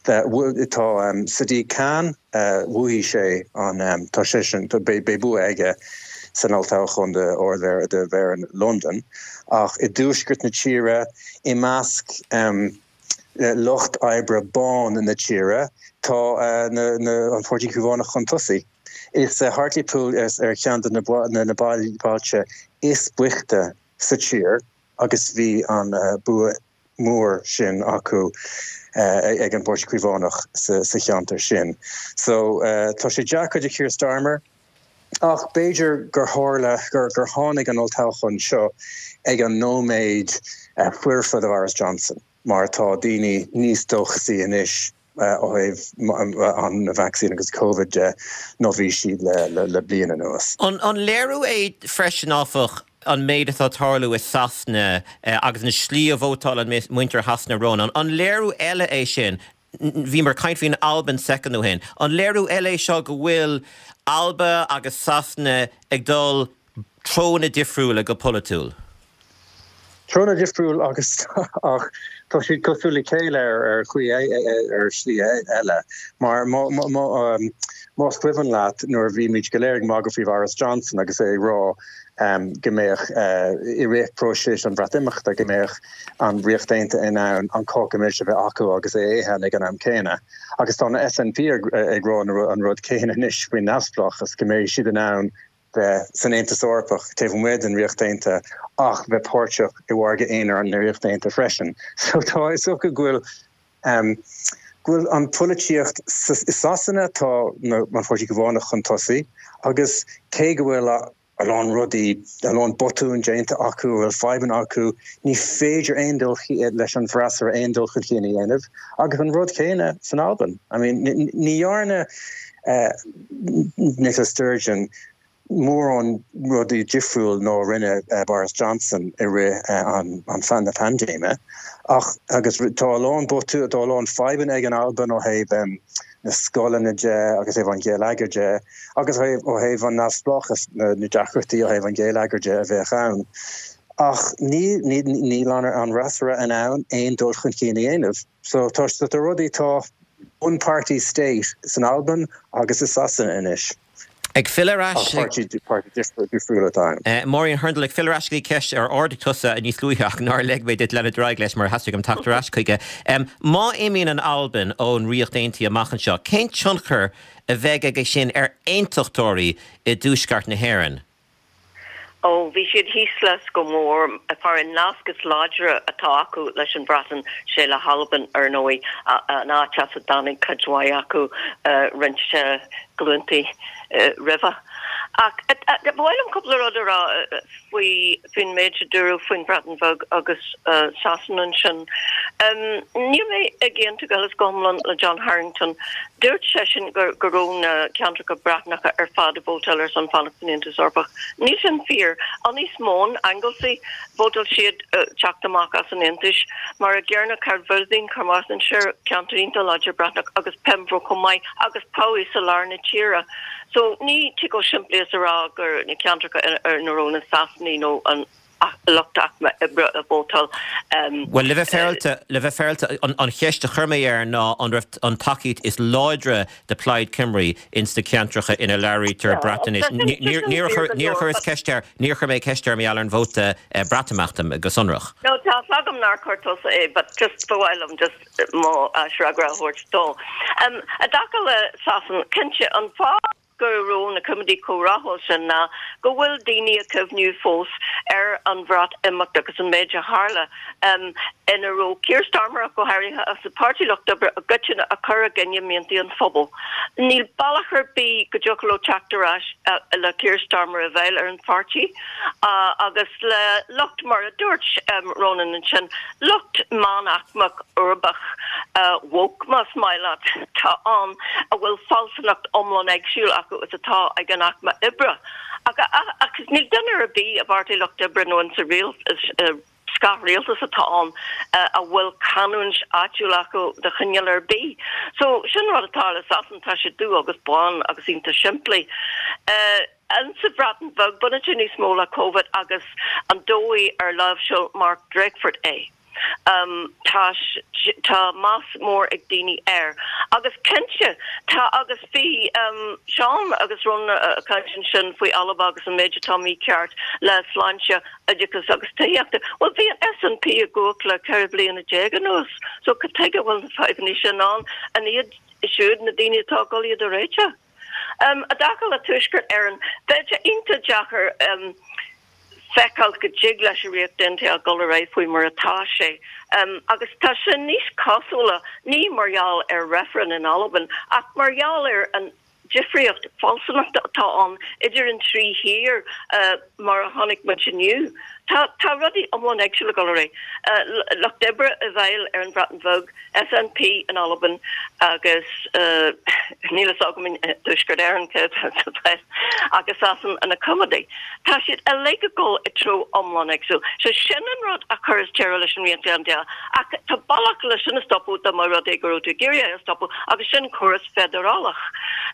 Tá um, Sadiq Khan uh, bhuaigh sé an um, tá sé sin beidh bua aige san olltoghchán de Ard de Mhéara London ach i dtuaisceart na tíre i measc um, lucht oibre bán na tíre tá uh, na, na, an Páirtí Caomhánach chun tosaigh. Is uh, Hartlepool is ar cheann de na, na, na bailte is boichte sa tír agus bhí an uh, bua mór sin acu uh, ag an bPáirtí Caomhánach sa, sa cheantar sin. So uh, tá sé deacair do Keir Starmer ach b'fhéidir gur tharla gur gur tháinig an olltoghchán seo ag an nóiméad uh, foirfe do Boris Johnson mar tá daoine níos dóchasaí anois ó thaobh an vaccine agus COVID de ná bhí siad le, le, le bliain anuas. An, an léiriú é freisin áfach an méid atá ag tarlú i Sasana eh, agus an slí a vótáil an muintir Shasana Ronan. An léiriú eile é sin bhíomar ag caint faoin Albain soicind ó shin. An léiriú eile seo go bhfuil Alba agus Sasana ag dul treonna difriúla go polaitiúil. Treonna difriúil agus ach tá siad cosúil le chéile ar ar chaoi ar shlí eile mar um, más cuimhin leat nuair a bhí muid go léir ag magadh faoi Boris Johnson agus é ag rá um, go mbeadh uh, i rith próiseas an Bhreatimeachta go mbeadh an Ríocht Aontaithe in ann an cáca milse a bheith acu agus é a ithe ag an am céanna. Agus tá na SNP ag, ag rá an rud céanna anois faoin neamhspleáchas go mbeidh siad in ann bheith san Aontas Eorpach taobh amuigh den Ríocht Aontaithe ach bheith páirteach i mhargadh aonair an Ríocht Aontaithe freisin. So tá is dócha go bhfuil um, go bhfuil an pholaitíocht i Sasana tá an Páirtí Caomhánach chun tosaigh agus cé go bhfuil a a lán rudaí a lán botún déanta acu bhfuil fadhbanna acu ní féidir aon dul leis an bhfreasúra aon dul chun cinn a dhéanamh agus an rud céanna san Albain. I mean ní dhearna uh, Nicola Sturgeon mórán rudaí difriúil ná rinne uh, Boris Johnson i rith uh, an, an fan na paindéime ach agus tá a lán botún tá a lán fadhbanna ag an Albain ó thaobh um, na scoileanna de agus thaobh an gheilleagair de agus ó thaobh an neamhspleáchas na, na deacrachtaí ó thaobh an gheilleagair de a bheith ann. Ach ní níl an an fhreasúra in ann aon dul chun cinn a dhéanamh. So tá tá rudaí tá one party state san Albain agus i Sasana anois. Ag filleadh ar ais. Ach páirtí difriúil atá ann. Máirín Hurndall, ag filleadh ar ais go dtí ceist ar ardaigh tusa níos luaithe ach nár lig mé duit leanúint ar aghaidh leis mar theastaigh uaim teacht ar ais chuige. Má imíonn an Albain ón Ríocht Aontaithe amach anseo, cén tionchar a bheidh aige sin ar aontachtóirí i dtuaisceart na hÉireann? Ó, bhí siad thíos leis go mór. Mar an nasc is láidre atá acu leis an Bhreatain, sé le hAlbain, ar ndóigh, an áit as a dtáinig cuid mhaith acu roinnt glúntaí roimhe. Ach ba mhaith liom cúpla rud a rá faoi faoin méid a dúradh faoin Bhreatain Bheag agus Sasana ansin. Níl mé ag aontú go huile is go hiomlán le John Harrington. Dúirt seisean go go raibh na ceantracha Breatnacha ar fad ag vótáil ar son fanacht san Aontas Eorpach. Níl sin fíor. Ynys Môn, Anglesey, vótáil siad teacht amach as an Aontais. Mar a gcéanna Caerfyrddin, Carmarthenshire, ceantar iontach láidir Breatnach agus Penfro chomh maith agus Powys i lár na tíre. So ní tig chomh simplí is a rá gur na ceantracha ina raibh na Sasanaigh nó an lucht aicme oibre a vótáil. Bhuel, le bheith féaráilte, le bheith féaráilte, an cheist a chuir mé air ná an raibh an tacaíocht is láidre do Plaid Cymru ins na ceantracha ina labhraítear Breatnais. Níor chuireas ceist air, níor chuir mé ceist air mar gheall ar an vóta Breatimeachta go sonrach. No, tá a fhios agam nár chuir tusa é, but just ba mhaith liom just mo fhreagra a thabhairt dó. I dtaca le Sasana, cinnte, an fáth go raibh na Coimeádaigh chomh rathúil sin ná go bhfuil daoine ag cuimhniú fós ar an Bhreatimeacht agus an méid a tharla ina raibh Keir Starmer ach go háirithe agus an Páirtí Lucht Oibre i gcoitinne ag cur i gcoinne miantaí an phobail. Níl bealach ar bith go dtiocfadh leo teacht ar ais le Keir Starmer i bhfeighil ar an pháirtí agus le lucht mar a dúirt Ronan ansin, lucht meánaicmeach uirbeach woke más maith leat atá ann a bhfuil fealsúnacht iomlán éagsúil acu is atá ag an aicme oibre. Ach ach níl duine ar bith i bPáirtí Lucht Oibre nó in sa scáthrialtas atá ann a bhfuil canúint áitiúil acu de chineál ar bith. So sin rud atá le Sasana, tá sé dubh agus bán agus iontach simplí. Insa Bhreatain Bheag, baineann sé níos mó le Covid agus an dóigh ar láimhseáil Mark Drakeford é. Tá tá meas mór ag daoine air. Agus cinnte, tá agus bhí Seán agus Ronan ag caint ansin faoi Alba agus an méid atá mícheart le sláinte, oideachas agus tithíochta. Bhuel, bhí an SNP i gcumhacht le ceithre bliana déag anuas, so cad tuige a bhfuil na fadhbanna sin ann? An iad siúd na daoine atá ag dul iad a réiteach? I dtaca le Tuaisceart Éireann, bheadh sé iontach deacair feiceáil go dtig leis an Ríocht Aontaithe a dhul ar aghaidh faoi mar atá sé. Agus tá sé níos cosúla, ní mar gheall ar reifreann in Albain, ach mar gheall ar an difríocht fealsúnachta atá ann idir an trí thír mar a chonaic muid inniu. Tá tá rudaí iomlán éagsúil ag dul ar aghaidh. Lucht Oibre i bhfeighil ar an Bhreatain Bheag, SNP in Albain agus níl a fhios agam i dTuaisceart Éireann cé atá sa bhfeighil ach i Sasana na Coimeádaigh. Tá siad uilig ag dul i dtreo iomlán éagsúil. So sin an rud a chuireas deireadh leis an Ríocht Aontaithe. Ach tá bealach le sin a stopadh dá mba rud é go raibh tú ag iarraidh é a stopadh agus sin córas feidearálach.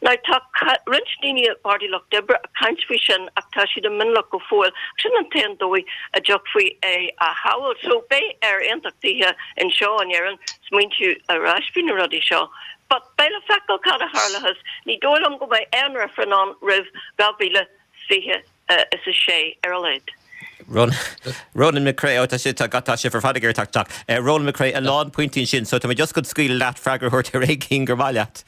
Now tá roinnt daoine i bPáirtí Lucht Oibre ag caint faoi sin ach tá siad i mionlach go fóill. Sin an t-aon dóigh a dtiocfaí é a shábháil. So beidh ar aontachtaithe anseo in Éirinn smaointiú ar ais faoi na rudaí seo. But beidh le feiceáil cad a tharlóchas. Ní dóigh liom go mbeidh aon reifreann ann roimh dhá mhíle fiche is a sé ar a laghad. Ronan McCrea, Ó tá sé, tá, tá sibh ar fad ag iarraidh teacht isteach. Ronan McCrea, a lán pointí ansin, so tá mé just chun scaoileadh leat freagra a thabhairt ar aon cheann gur maith leat.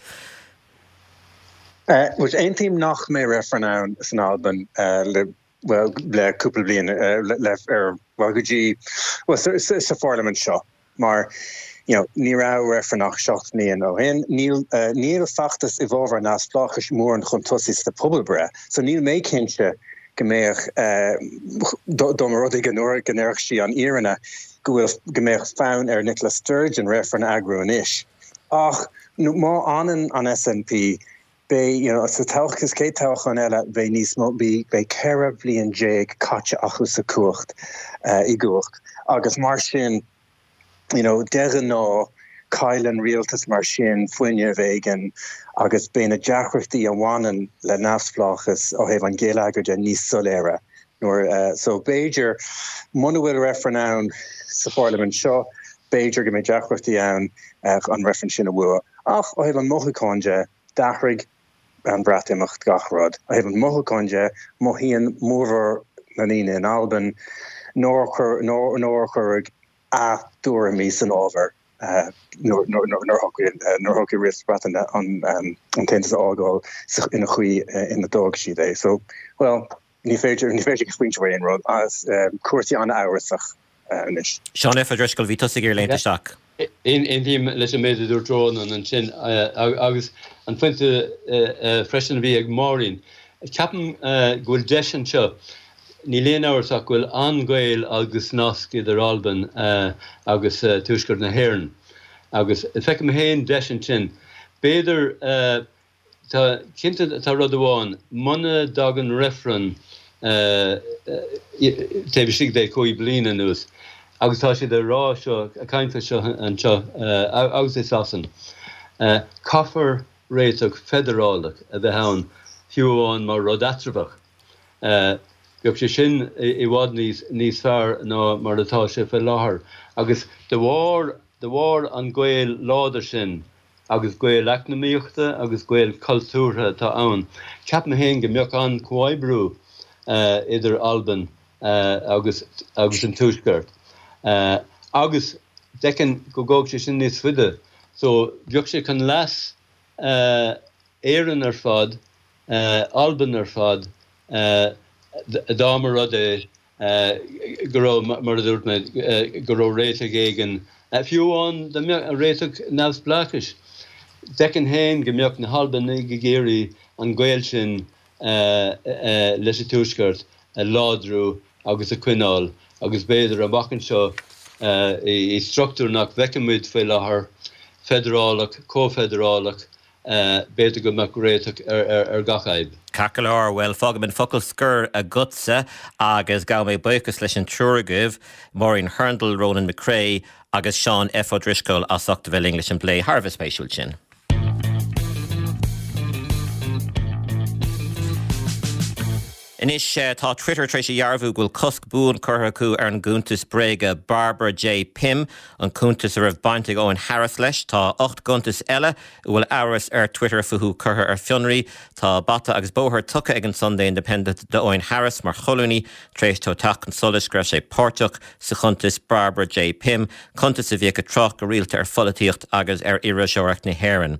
Bhuel, aontaím nach mbeidh reifreann ann san Albain le, bhuel, le cúpla bliain, le, ar, bhuel, go dtí, bhuel, sa, sa pharlaimint seo, mar, you know, ní raibh reifreann ach seacht mbliain ó shin. Níl, níl feachtas i bhfabhar neamhspleáchais mórán chun tosaigh sa pobalbhreith, so níl mé cinnte go mbeadh, dá mba rud é go ndéarfadh sí an fhírinne, go bhfuil, go mbeadh fonn ar Nicola Sturgeon reifreann a eagrú anois. Ach má fhanann an SNP, beidh, you know, sa toghchán, sa chéad toghchán eile, beidh níos mó, beidh ceithre bhliain déag caite acu sa chumhacht, i gcumhacht agus mar sin, you know, de ghnáth, cailleann rialtas mar sin fuinneamh éigin agus beidh na deacrachtaí a bhaineann le neamhspleáchas ó thaobh an gheilleagair de níos soiléire nuair, so b'fhéidir, muna bhfuil reifreann ann sa pharlaimint seo, b'fhéidir go mbeidh deacrachtaí ann an reifreann sin a bhua. Ach ó thaobh an mhothúcháin de, d'athraigh an Breatimeacht gach rud. Ó thaobh an mothúcháin de, mothaíonn mórmhór na ndaoine in Albain nár nár cuireadh a dtuairimí san ábhar nuair a shocraigh Rialtas na Breataine an tAontas a fhágáil ina chaoi ina d'fhág siad é. So, well, ní féidir ní féidir go smaointeamh ar aon rud as cúrsaí an-amhrasach anois. Seán F. Ó Drisceoil, bhí tusa ag iarraidh léimt isteach. Aontaím leis an méid a dúirt Rónán ansin agus an pointe freisin a bhí ag Máirín. Ceapaim go bhfuil deis anseo. Níl aon amhras ach go bhfuil an-ghaol agus nasc idir Albain agus Tuaisceart na hÉireann. Agus feicim féin deis ansin. B'fhéidir, tá, cinnte tá rud amháin, muna dtagann reifreann taobh istigh de cúig bliana anuas, agus tá siad ag rá seo, ag caint faoi seo anseo agus i Sasain, caithfear réiteach feidearálach a bheith ann, fiú amháin mar rud eatramhach. Bheadh sé sin i bhfad níos fearr ná mar atá sé faoi láthair. Agus de bharr, de bharr an gaol láidir sin agus gaol eacnamaíochta agus gaol cultúrtha atá ann, ceapaim féin go mbeadh an-chomhoibriú idir Albain agus agus an Tuaisceart. Agus d'fheicfinn go gabhfadh sé sin níos faide. So bheadh sé chun leas Éireann ar fad, Albain ar fad, dá mba rud é go raibh, mar a dúirt mé, go raibh réiteach éigin, fiú amháin dá mbeadh réiteach neamhspleáchais. D'fheicfinn féin go mbeadh na hAlbanaigh ag iarraidh an gaol sin leis an Tuaisceart a láidriú agus a choinneáil agus b'fhéidir amach anseo i struchtúr nach bhfeiceann muid faoi láthair, feidearálach, comhfheidearálach, b'fhéidir go mbeadh réiteach ar gach fhadhb. Ceart go leor, bhuel, fágfaidh mé an focal scoir agatsa agus gabhfaidh mé buíochas leis an triúr agaibh, Máirín Hurndall, Ronan McCrea agus Seán F. Ó Drisceoil as ucht a bheith linn leis an bplé thar a bheith spéisiúil sin. Anois, tá Twitter tar éis a dhearbhú go bhfuil cosc buan curtha acu ar an gcuntas bréige Barbara J Pym, an cuntas a raibh baint ag Eoghan Harris leis. Tá ocht gcuntas eile a bhfuil amhras ar Twitter fúthu curtha ar fionraí. Tá bata agus bóthar tugtha ag an Sunday Independent d'Eoghan Harris mar cholúnaí tar éis dó teacht chun solais go raibh sé páirteach sa chuntas Barbara J Pym, cuntas a bhíodh ag trácht go rialta ar pholaitíocht agus ar iriseoireacht na hÉireann.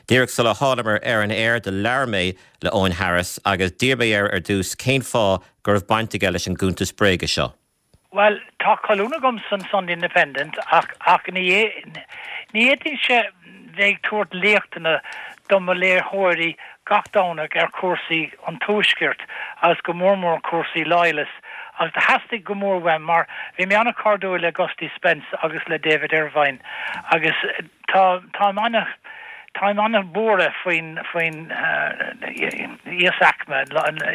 Díreach sula thánamar ar an aer do labhair mé le Eoghan Harris agus d'iarr mé air ar dtús cén fáth go raibh baint aige leis an gcuntas bréige seo. Bhuel, tá colún agam san Sunday Independent ach ach ní ní fhéadfainnse bheith ag tabhairt léachtanna do mo léitheoirí gach Domhnach ar chúrsaí an Tuaiscirt agus go mór mór cúrsaí Loyalist agus do theastaigh go mór uaim mar bhí mé an-chairdiúil le Gusty Spence agus le David Ervine agus tá táim ana Táim an-bhuartha faoin faoin íosaicme,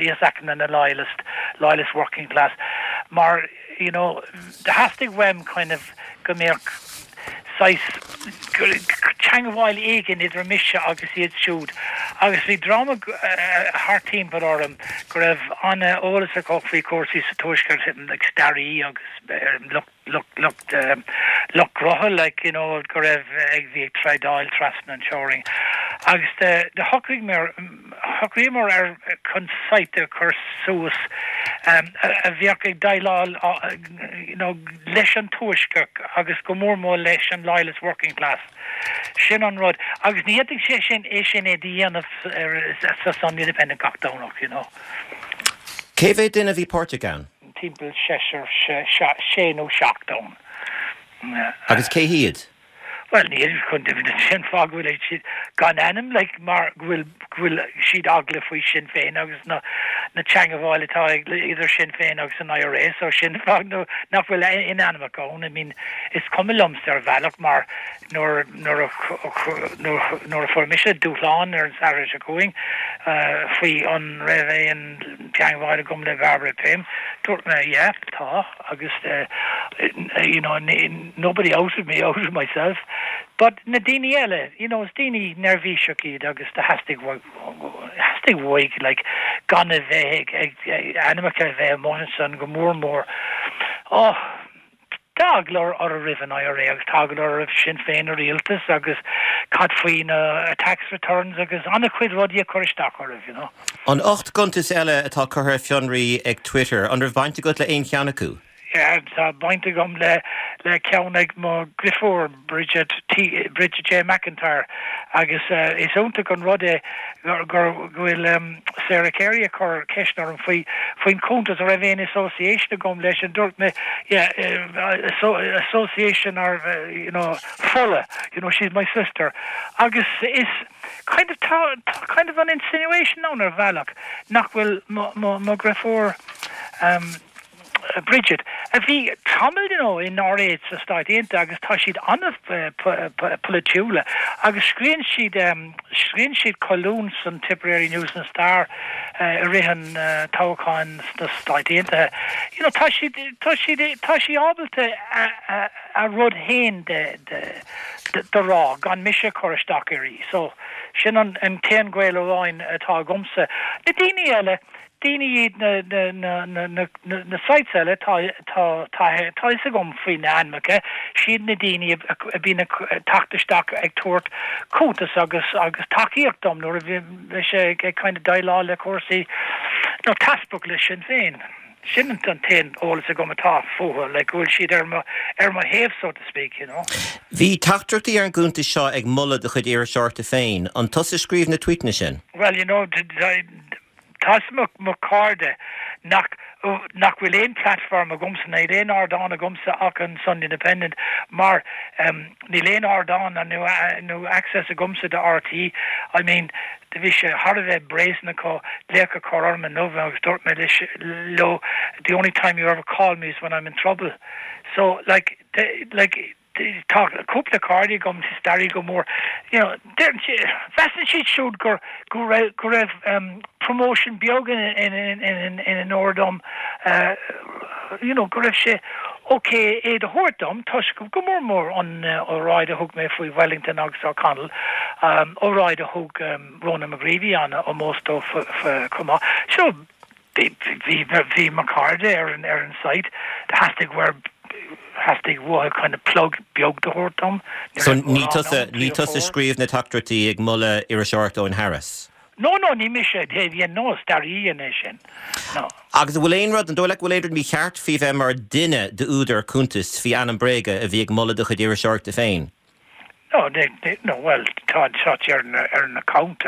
íosaicme na Loyalist, Loyalist working class mar you know theastaigh uaim kind of go mbeadh saghas teangmháil éigin idir mise agus iad siúd agus bhí dream thart timpeall orm go raibh an-eolas acu faoi chúrsaí sa Tuaisceart like staraí agus lucht lucht lucht lucht gnó like you know go raibh ag bhí ag trádáil trasna an teorainn agus de de shocraigh mé shocraíomar ar chun site a chur suas um, a, a bheadh ag déileáil you know, leis an tuaisceart agus go mór mór leis an loyalist working class. Sin an rud agus ní fhéadfadh sé sin é sin é a dhéanamh sa Sunday Independent gach Domhnach you know. Cé mhéad duine a bhí páirteach ann? Timpeall seisear, sé nó seacht ann. Agus cé hiad? Bhuel, níl chun sin fáth go bhfuil siad gan ainm like, mar go bhfuil go bhfuil siad eagla faoi Sinn Féin agus na na teangmháil atá ag idir Sinn Féin agus an IRA so sin fáth nó nach bhfuil aon ainmneacha ann. I mean, is cuma liomsa ar bhealach mar nuair nuair a nuair nuair a fuair mise dúshlán ar an Satharn seo chugainn faoi an raibh aon teangmháil agam le Barbara Pym, dúirt mé yeah, tá agus you know, nobody outed me outed myself. But na daoine eile, you know, is daoine neirbhíseach iad agus do theastaigh theastaigh uaidh like, gan a bheith ag ag ainmneacha a bheith amuigh ansan go mór mór. Oh, Tá eagla orthu roimh an IRA agus tá eagla orthu roimh Sinn Féin a rialtas agus cad faoi na tax returns agus an-chuid rudaí a chur isteach orthu, you know. An ocht gcuntas eile atá curtha ar fionraí ag Twitter, an raibh baint agat le aon cheann acu? Yeah, tá baint agam le le ceann ag mo dheirfiúr Bridget T Bridget J McIntyre agus uh, is iontach an rud é gur gur go bhfuil um, Sarah Carey ag cur ceist orm faoi faoin cuntas a raibh aon association agam leis an dúirt mé yeah, uh, so, association or uh, you know fola you know she's my sister agus is kind of tá, tá kind of an insinuation ann ar bhealach nach bhfuil mo mo mo dheirfiúr um, Bridget a bhí tamall you know, in áréid sa Stáit Aontaithe agus tá siad an-pholaitiúil agus scríobhann siad um, scríobhann siad colún san Tipperary News and Star uh, i rith an uh, toghcháin sna Stáit Aontaithe. You know, tá siad tá siad tá sí ábalta a, a, a rud féin de, de, de, de rá gan mise chur isteach uirthi. So sin an, an t-aon ghaol amháin atá agamsa. Na daoine eile, daoine iad na na na na na na na sites eile tá tá tá tá fhios agam faoi na hainmneacha siad na daoine a bhíonn ag teacht isteach ag tabhairt cuntas agus agus tacaíocht dom nuair a bhí sé ag kind of déileáil le cúrsaí nó teaspach le Sinn Féin. Sin an t-aon eolas agam atá fúthu le go bhfuil siad ar mo ar mo thaobh so to speak you know. Bhí teachtaireachtaí ar an gcuntas seo ag moladh do chuid iriseoireachta féin, an tusa a scríobh na tweetanna sin? Well you know tá mo mo chairde nach nach bhfuil aon platform agamsa níl aon ardán agamsa ach an Sunday Independent mar um, níl aon ardán nó nó access agamsa do RTÉ I mean de bhí sé thar a bheith brazen acu glaoch a chur orm inniu agus dúirt mé leis leo the only time you ever call me is when I'm in trouble so like the, like tá cúpla cairde agam staraí go mór you know Measann siad siúd gur go raibh go raibh um, promotion beag in in in in in an ordom uh, you know go raibh sé okay é do thabhairt dom toisc go mór mór an uh, óráid a thug mé faoi Wellington agus O'Connell um, óráid a thug um, Ronan McGreevy an ómós dó chomh so bhí bhí mo chairde ar an ar an site theastaigh where theastaigh uathu kind of plug beag do thabhairt dom. So ní tusa ní tusa scríobh na teachtaireachtaí ag moladh iriseoireacht Eoghan Harris. No no ní mise bhí no staraí é sin. No. Agus bhfuil aon rud an dóigh leat go bhfuil aon rud mícheart faoi bheith mar duine d'údar cuntas faoi ainm bréige a bhí ag moladh do chuid iriseoireachta féin. No, they, they, no well tá tá ar na ar na account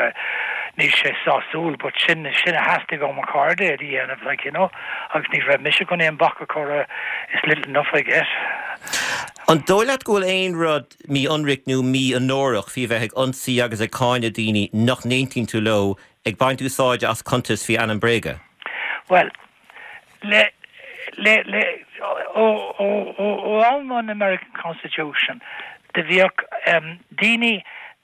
níl sé sásúil, but sin sin a theastaigh ó mo chairde a dhéanamh like you know agus ní raibh mise chun aon bac a chur is little enough I get. An dóigh leat go bhfuil aon rud mí-ionraic nó mí-onórach faoi bheith ag ionsaí agus ag cáineadh daoine nach n-aontaíonn tú leo ag baint úsáide as cuntas faoi ainm bréige? Well le le le ó ó ó ó am an American Constitution de bhíodh um, daoine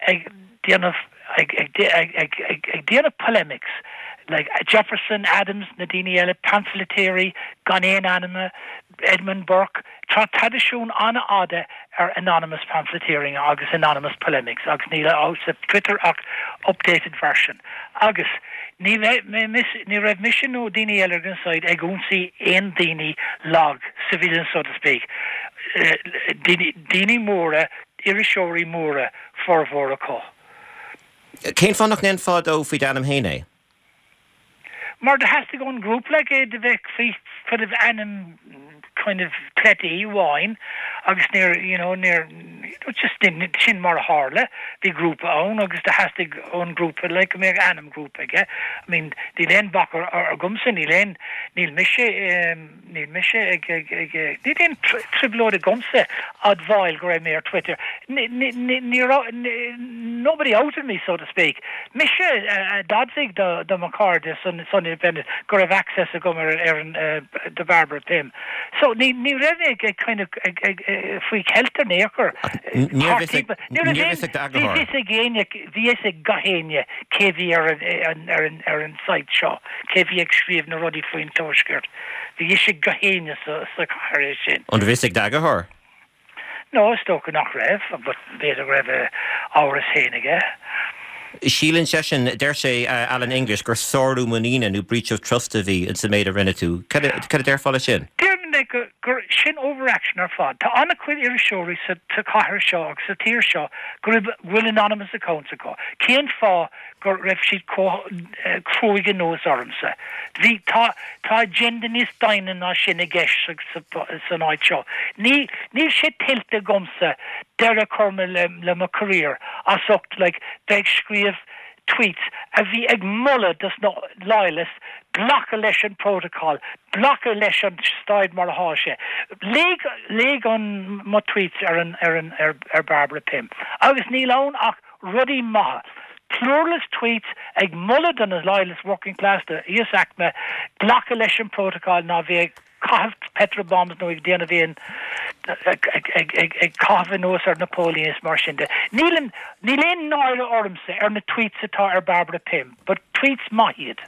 ag déanamh ag ag ag ag ag ag déanamh polemics like Jefferson Adams na daoine eile pamphleteering gan aon ainm Edmund Burke tá traidisiún an-fhada ar anonymous pamphleteering agus anonymous polemics agus níl sa Twitter ach updated version agus ní ní raibh mise nó daoine eile ar an site ag ionsaí aon daoine lag civilian so to speak uh, daoine móra iriseoirí móra formhór acu. Cén fáth nach ndéanfá dó faoi d'ainm féin é? Mar de theastaigh ón grúpa é de bheith faoi kind of ainm kind of cleite amháin agus níor you know níor just sin mar a tharla bhí grúpa ann agus de theastaigh ón grúpa le go mbeadh ainm grúpa aige I mean níl aon bac agamsa níl aon níl mise um, níl mise ag ag ag níl aon trioblóid agamsa admháil go raibh mé ar Twitter ní nobody outed me so to speak mise uh, d'admhaigh do do mo chairde san san Independent go raibh access agam ar ar an uh, de Barbara Pym so ní ní raibh ag ag kind of ag ag faoi cheilt in aon chor bhí éinne bhí ag gach éinne cé bhí ar an ar an ar an site seo cé bhí ag scríobh na rudaí faoin tuaisceart bhí ag gach éinne sa sa chathair sin. An bhí ag d'eagarthóir? No is dócha nach raibh, but b'fhéidir raibh amhras féin aige. Síleann seisean deir sé uh, Alan English gur sárú muiníne nó breach of trust a bhí in sa méid a rinne tú. Cad a déarfá leis sin? Deir mé gur, gur sin overreaction ar fad. Tá an-chuid iriseoirí sa sa chathair seo agus sa tír seo go raibh bhfuil anonymous accounts acu. Cén fáth go raibh siad chomh eh, cruaidh anuas ormsa. Bhí tá tá agenda níos doimhne ná sin i gceist sa, sa, san áit seo. Ní níl sé tuillte agamsa deireadh a chur le, le mo career as ucht like, bheith ag scríobh tweets a bhí ag moladh dos na loyalists glacadh leis an protocol, glacadh leis an staid mar atá sé. Léigh léigh an mo tweets ar an ar an ar, ar Barbara Pym. Agus níl ann ach rudaí maithe. Pluralist tweets ag moladh do na loyalist working class de íosaicme glacadh leis an protocol ná bheith ag caitheamh petrol bombs nó ag déanamh aon ag ag ag ag ag caitheamh anuas ar na póilíní is mar sin de. Níl níl aon náire ormsa ar na tweets atá ar Barbara Pym, but tweets maith iad.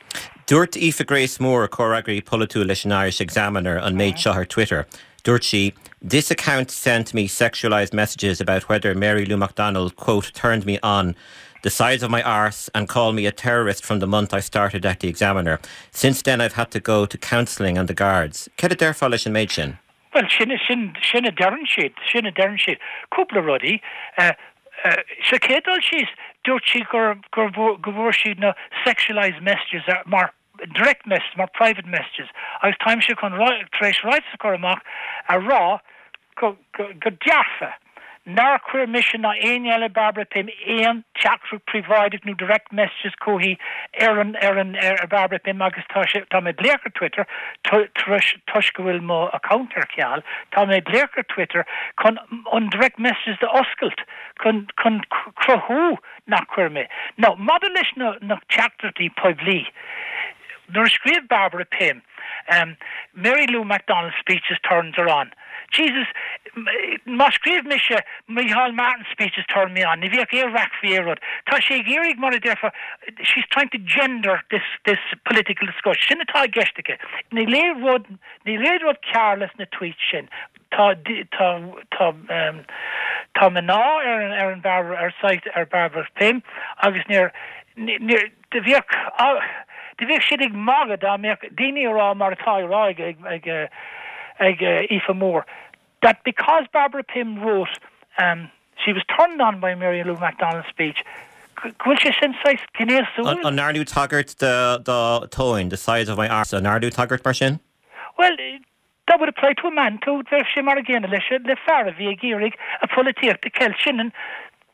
Dúirt Aoife Grace Moore comhfhreagraí polaitiúil leis an Irish Examiner an méid seo ar Twitter. Dúirt sí, This account sent me sexualized messages about whether Mary Lou McDonald, quote, turned me on the size of my arse and called me a terrorist from the month I started at the Examiner. Since then I've had to go to counselling and the guards. Céard a déarfá leis an méid sin? Well sin sin sin a deireann siad, sin a deireann siad. Cúpla rudaí uh, uh, sa chéad dul síos dúirt sí gur gur go bhfuair siad na sexualized messages uh, mar direct messages mar private messages agus táimse chun tar éis ráiteas a chur amach a rá go, go, go dearfa. Nár chuir mise ná éinne eile Barbara Pym aon teachtaireacht príobháideach nó direct messages chuici ar an ar an ar Barbara Pym agus tá sé tá mé glaoch ar Twitter toisc go bhfuil mo account ar ceal, Tá mé glaoch ar Twitter chun an direct messages d'oscailt chun chun cruthú nach chuir mé. Now maidir leis na na teachtaireachtaí poiblí. Nuair a scríobh Barbara Pym, um, Mary Lou McDonald speeches turns her on. Jesus, má scríobh mise Micheál Martin speeches turn me on. Ní bheadh aon raic faoi rud. Tá sé ag iarraidh mar a déarfá she's trying to gender this this political discussion. Sin atá i gceist aici. Ní le rud ní le rud cearlas na tweet sin. Tá tá tá um, tá mná ar an ar an bar ar site ar Barbara Pym agus níor níor de bheadh de bheadh siad ag magadh dá mbeadh daoine ag rá mar atá rá ag ag ag Aoife Moore that because Barbara Pym wrote um, she was turned on by Mary Lou McDonald's speech go bhfuil sé sin saghas gnéasúil An ndearnadh tagairt de do tóin the size of my arse an ndearnadh tagairt mar sin? Well that would apply to a man too bheadh sé mar an gcéanna leis le fear a bhí ag iarraidh a pholaitíocht a cheilt sin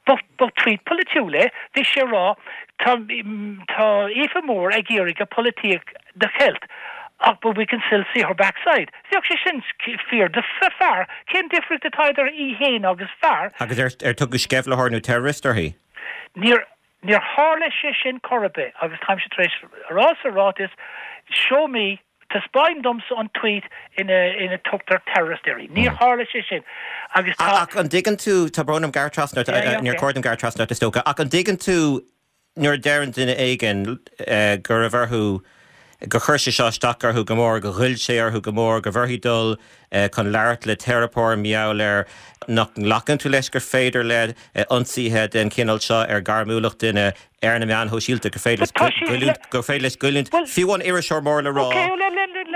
ba tweet polaitiúil é bhí sé rá tá tá Aoife Moore ag iarraidh a polaitíocht a cheilt. ach but we can still see her backside. Bheadh sé sin fíor de fear cén difríocht atá idir í héin agus fear. Agus ar ar tugadh sceimhlitheoir nó terrorist uirthi? Níor níor tharla sé sin chor ar bith agus táimse tar éis rá sa ráiteas show me taispeáin domsa an tweet ina ina tugtar terrorist uirthi. Níor tharla sé sin agus tá Ach an dtuigeann tú tá brón orm gearradh trasna níor chóir dom gearradh trasna is dócha ach an dtuigeann tú nuair a deireann duine éigin go raibh orthu gur chuir sé seo isteach orthu go mór go ghoill sé orthu go mór go bhfuil orthu dul chun labhairt le teiripeoir mar gheall air nach nglacann tú leis gur féidir le ionsaithe den chineál seo ar gairmiúlacht duine ar na meáin shóisialta gur féidir gur féidir leis goilliúint fiú an iriseoir mór le rá.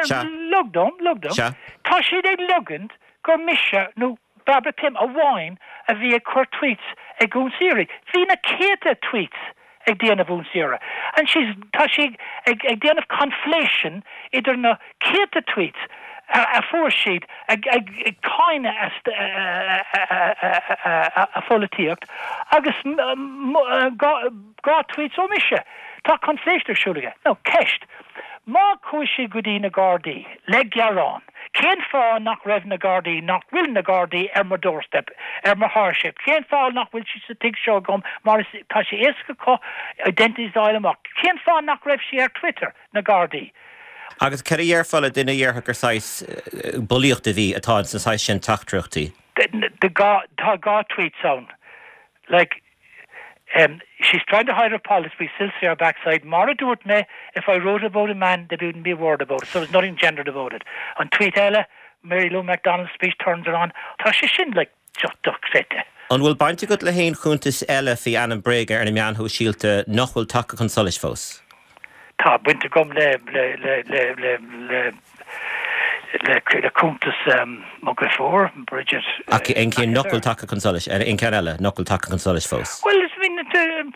Lig dom lig dom Tá siad ag ligint gur mise nó Barbara Pym amháin a bhí ag cur tweets ag ionsaí uirthi. Bhí na céadta tweets ag déanamh ionsaí uirthi. And she's tá sí ag, ag déanamh conflation idir na céadta tweets a, a fuair siad ag, ag, ag cáineadh a pholaitíocht agus dhá tweets ó mise. Tá conflation ar siúl aige. Now ceist. Má chuaigh sí go dtí na Gardaí le gearán. Cén fáth nach raibh na Gardaí nach bhfuil na Gardaí ar mo doorstep ar mo thairseach. Cén fáth nach bhfuil sí sa tigh seo agam mar tá sé éasca acu identities amach. Cén fáth nach raibh sí ar Twitter na Gardaí. Agus céard a déarfá le duine a déarfadh gur saghas bulaíocht a bhí atá san saghas sin teachtaireachtaí. Tá dhá tweets ann. Like Um, she's trying to hide her politics, we still see her backside. Mar a dúirt mé, if I wrote about a man, there wouldn't be a word about it. So there's nothing gendered about it. An tweet eile, Mary Lou McDonald's speech turns her on. Tá sé sin like just dochreidte. An bhfuil baint agat le haon chuntas eile faoi ainm bréige ar na meáin shóisialta nach bhfuil tagtha chun solais fós? Tá baint agam le le le le le le le cuntas mo dheirfiúr, Bridget. Ach aon cheann nach bhfuil tagtha chun solais, aon cheann eile nach bhfuil tagtha chun solais fós? Bhuel, I mean,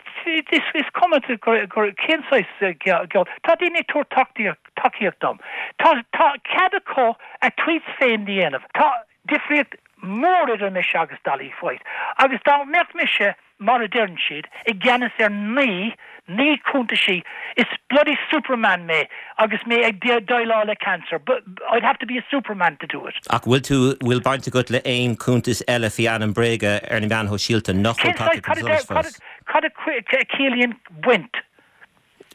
is is cuma gur cén saghas geall. Tá daoine ag tabhairt tacaíocht tacaíocht dom. Tá tá cead acu a tweets féin a dhéanamh. Tá difríocht mór idir mise agus Dolly White. Agus dá mbeadh mise, mar a deireann siad, i gceannas ar naoi, naoi cuntaisí, is bloody superman mé agus mé ag déileáil le cancer, but I'd have to be a superman to do it. Ach bhfuil tú, bhfuil baint agat le aon cuntas eile faoi ainm bréige ar na meáin shóisialta nach bhfuil tagtha chun solais fós? Cad a chiallaíonn baint?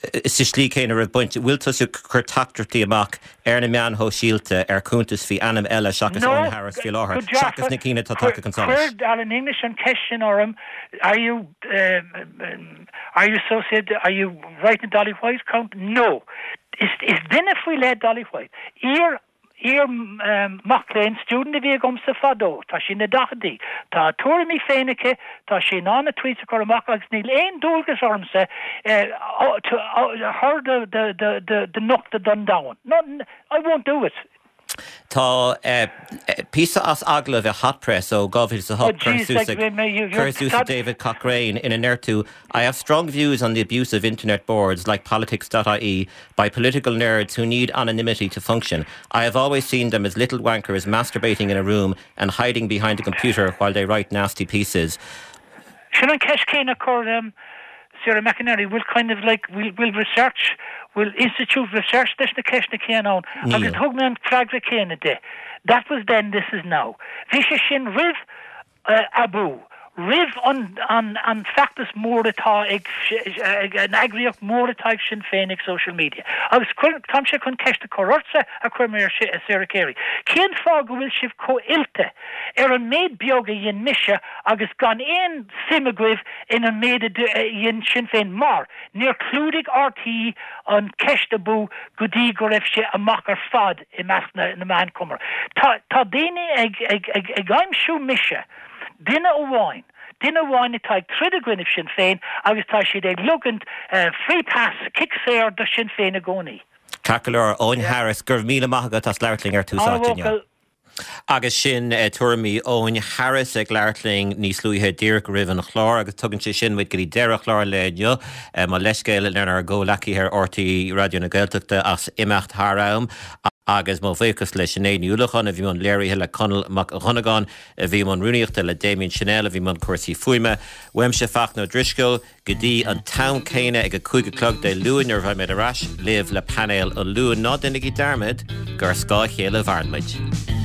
Sa slí céanna raibh baint, bhfuil tusa ag cur teachtaireachtaí amach ar na meáin shóisialta ar cuntas faoi ainm eile seachas Eoghan Harris faoi láthair, seachas na cinn atá tagtha chun solais? Chuir Alan English an ceist sin orm, are you um, are you associated, are you writing Dolly White account? No. Is, is duine faoi leith Dolly White. Iar Iar mac léinn, student a bhí agamsa fadó, tá sí ina daichidí, tá a tuairimí féin aici, tá sí in ann a tweets a chur amach agus níl aon dualgas ormsa her do nochtadh don domhan. No, I won't do it. Tá píosa as agallamh i Hot Press ó dhá mhíle is a hocht curtha suas ag David Cochrane ina ndeir tú I have strong views on the abuse of internet boards like politics.ie by political nerds who need anonymity to function. I have always seen them as little wankers masturbating in a room and hiding behind a computer while they write nasty pieces. Sin an ceist céanna chuir um, Sarah McInerney will kind of like will will research will institute research leis na ceisteanna céanna ann agus thug mé an freagra céanna di. That was then, this is now. Bhí sé sin roimh uh, Abú, roimh an, an, an feachtas mór atá ag, ag an eagraíocht mór atá ag Sinn Féin ag social media. Agus táimse chun ceist a chur ortsa a chuir mé ar Sarah Carey. Cén fáth go bhfuil sibh chomh oilte ar an méid beag a dhein mise agus gan aon suim agaibh in an méid a dhein Sinn Féin mar níor chlúdaigh RTÉ an ceist Abú go dtí go raibh sé amach ar fad i measc na, na meán cumarsáide. Tá, tá daoine ag, ag, ag, ag aimsiú mise, duine amháin, duine amháin atá ag troid i gcoinne Sinn Féin agus tá siad ag ligint uh, free pass kick saor do Sinn Féin i gcónaí. Ceart go leor Eoghan Harris go raibh míle maith agat as labhairt linn ar Tús Áite inniu. Agus sin uh, tuairimí Eoghan Harris ag labhairt linn níos luaithe díreach roimh an chlár agus tugann sé sin muid go dtí deireadh chlár an lae inniu uh, mo leithscéal lenár gcomhghleacaithe ar RTÉ Raidió na Gaeltachta as imeacht thar am agus mo bhuíochas le Sinéad Ní Uallacháin a bhí i mbun léirithe le Conall Mac Dhonnagáin a bhí i mbun rúnaíochta le Damien Chanel a bhí i mbun cúrsaí fuaime, Uaimse Fachtna Ó Drisceoil go dtí an t-am céanna ag a cúig a chlog Dé Luain nuair a bheidh mé ar ais libh le painéal an Luain ná déanaigí dearmad gur ar scáth a chéile a mhaireann muid.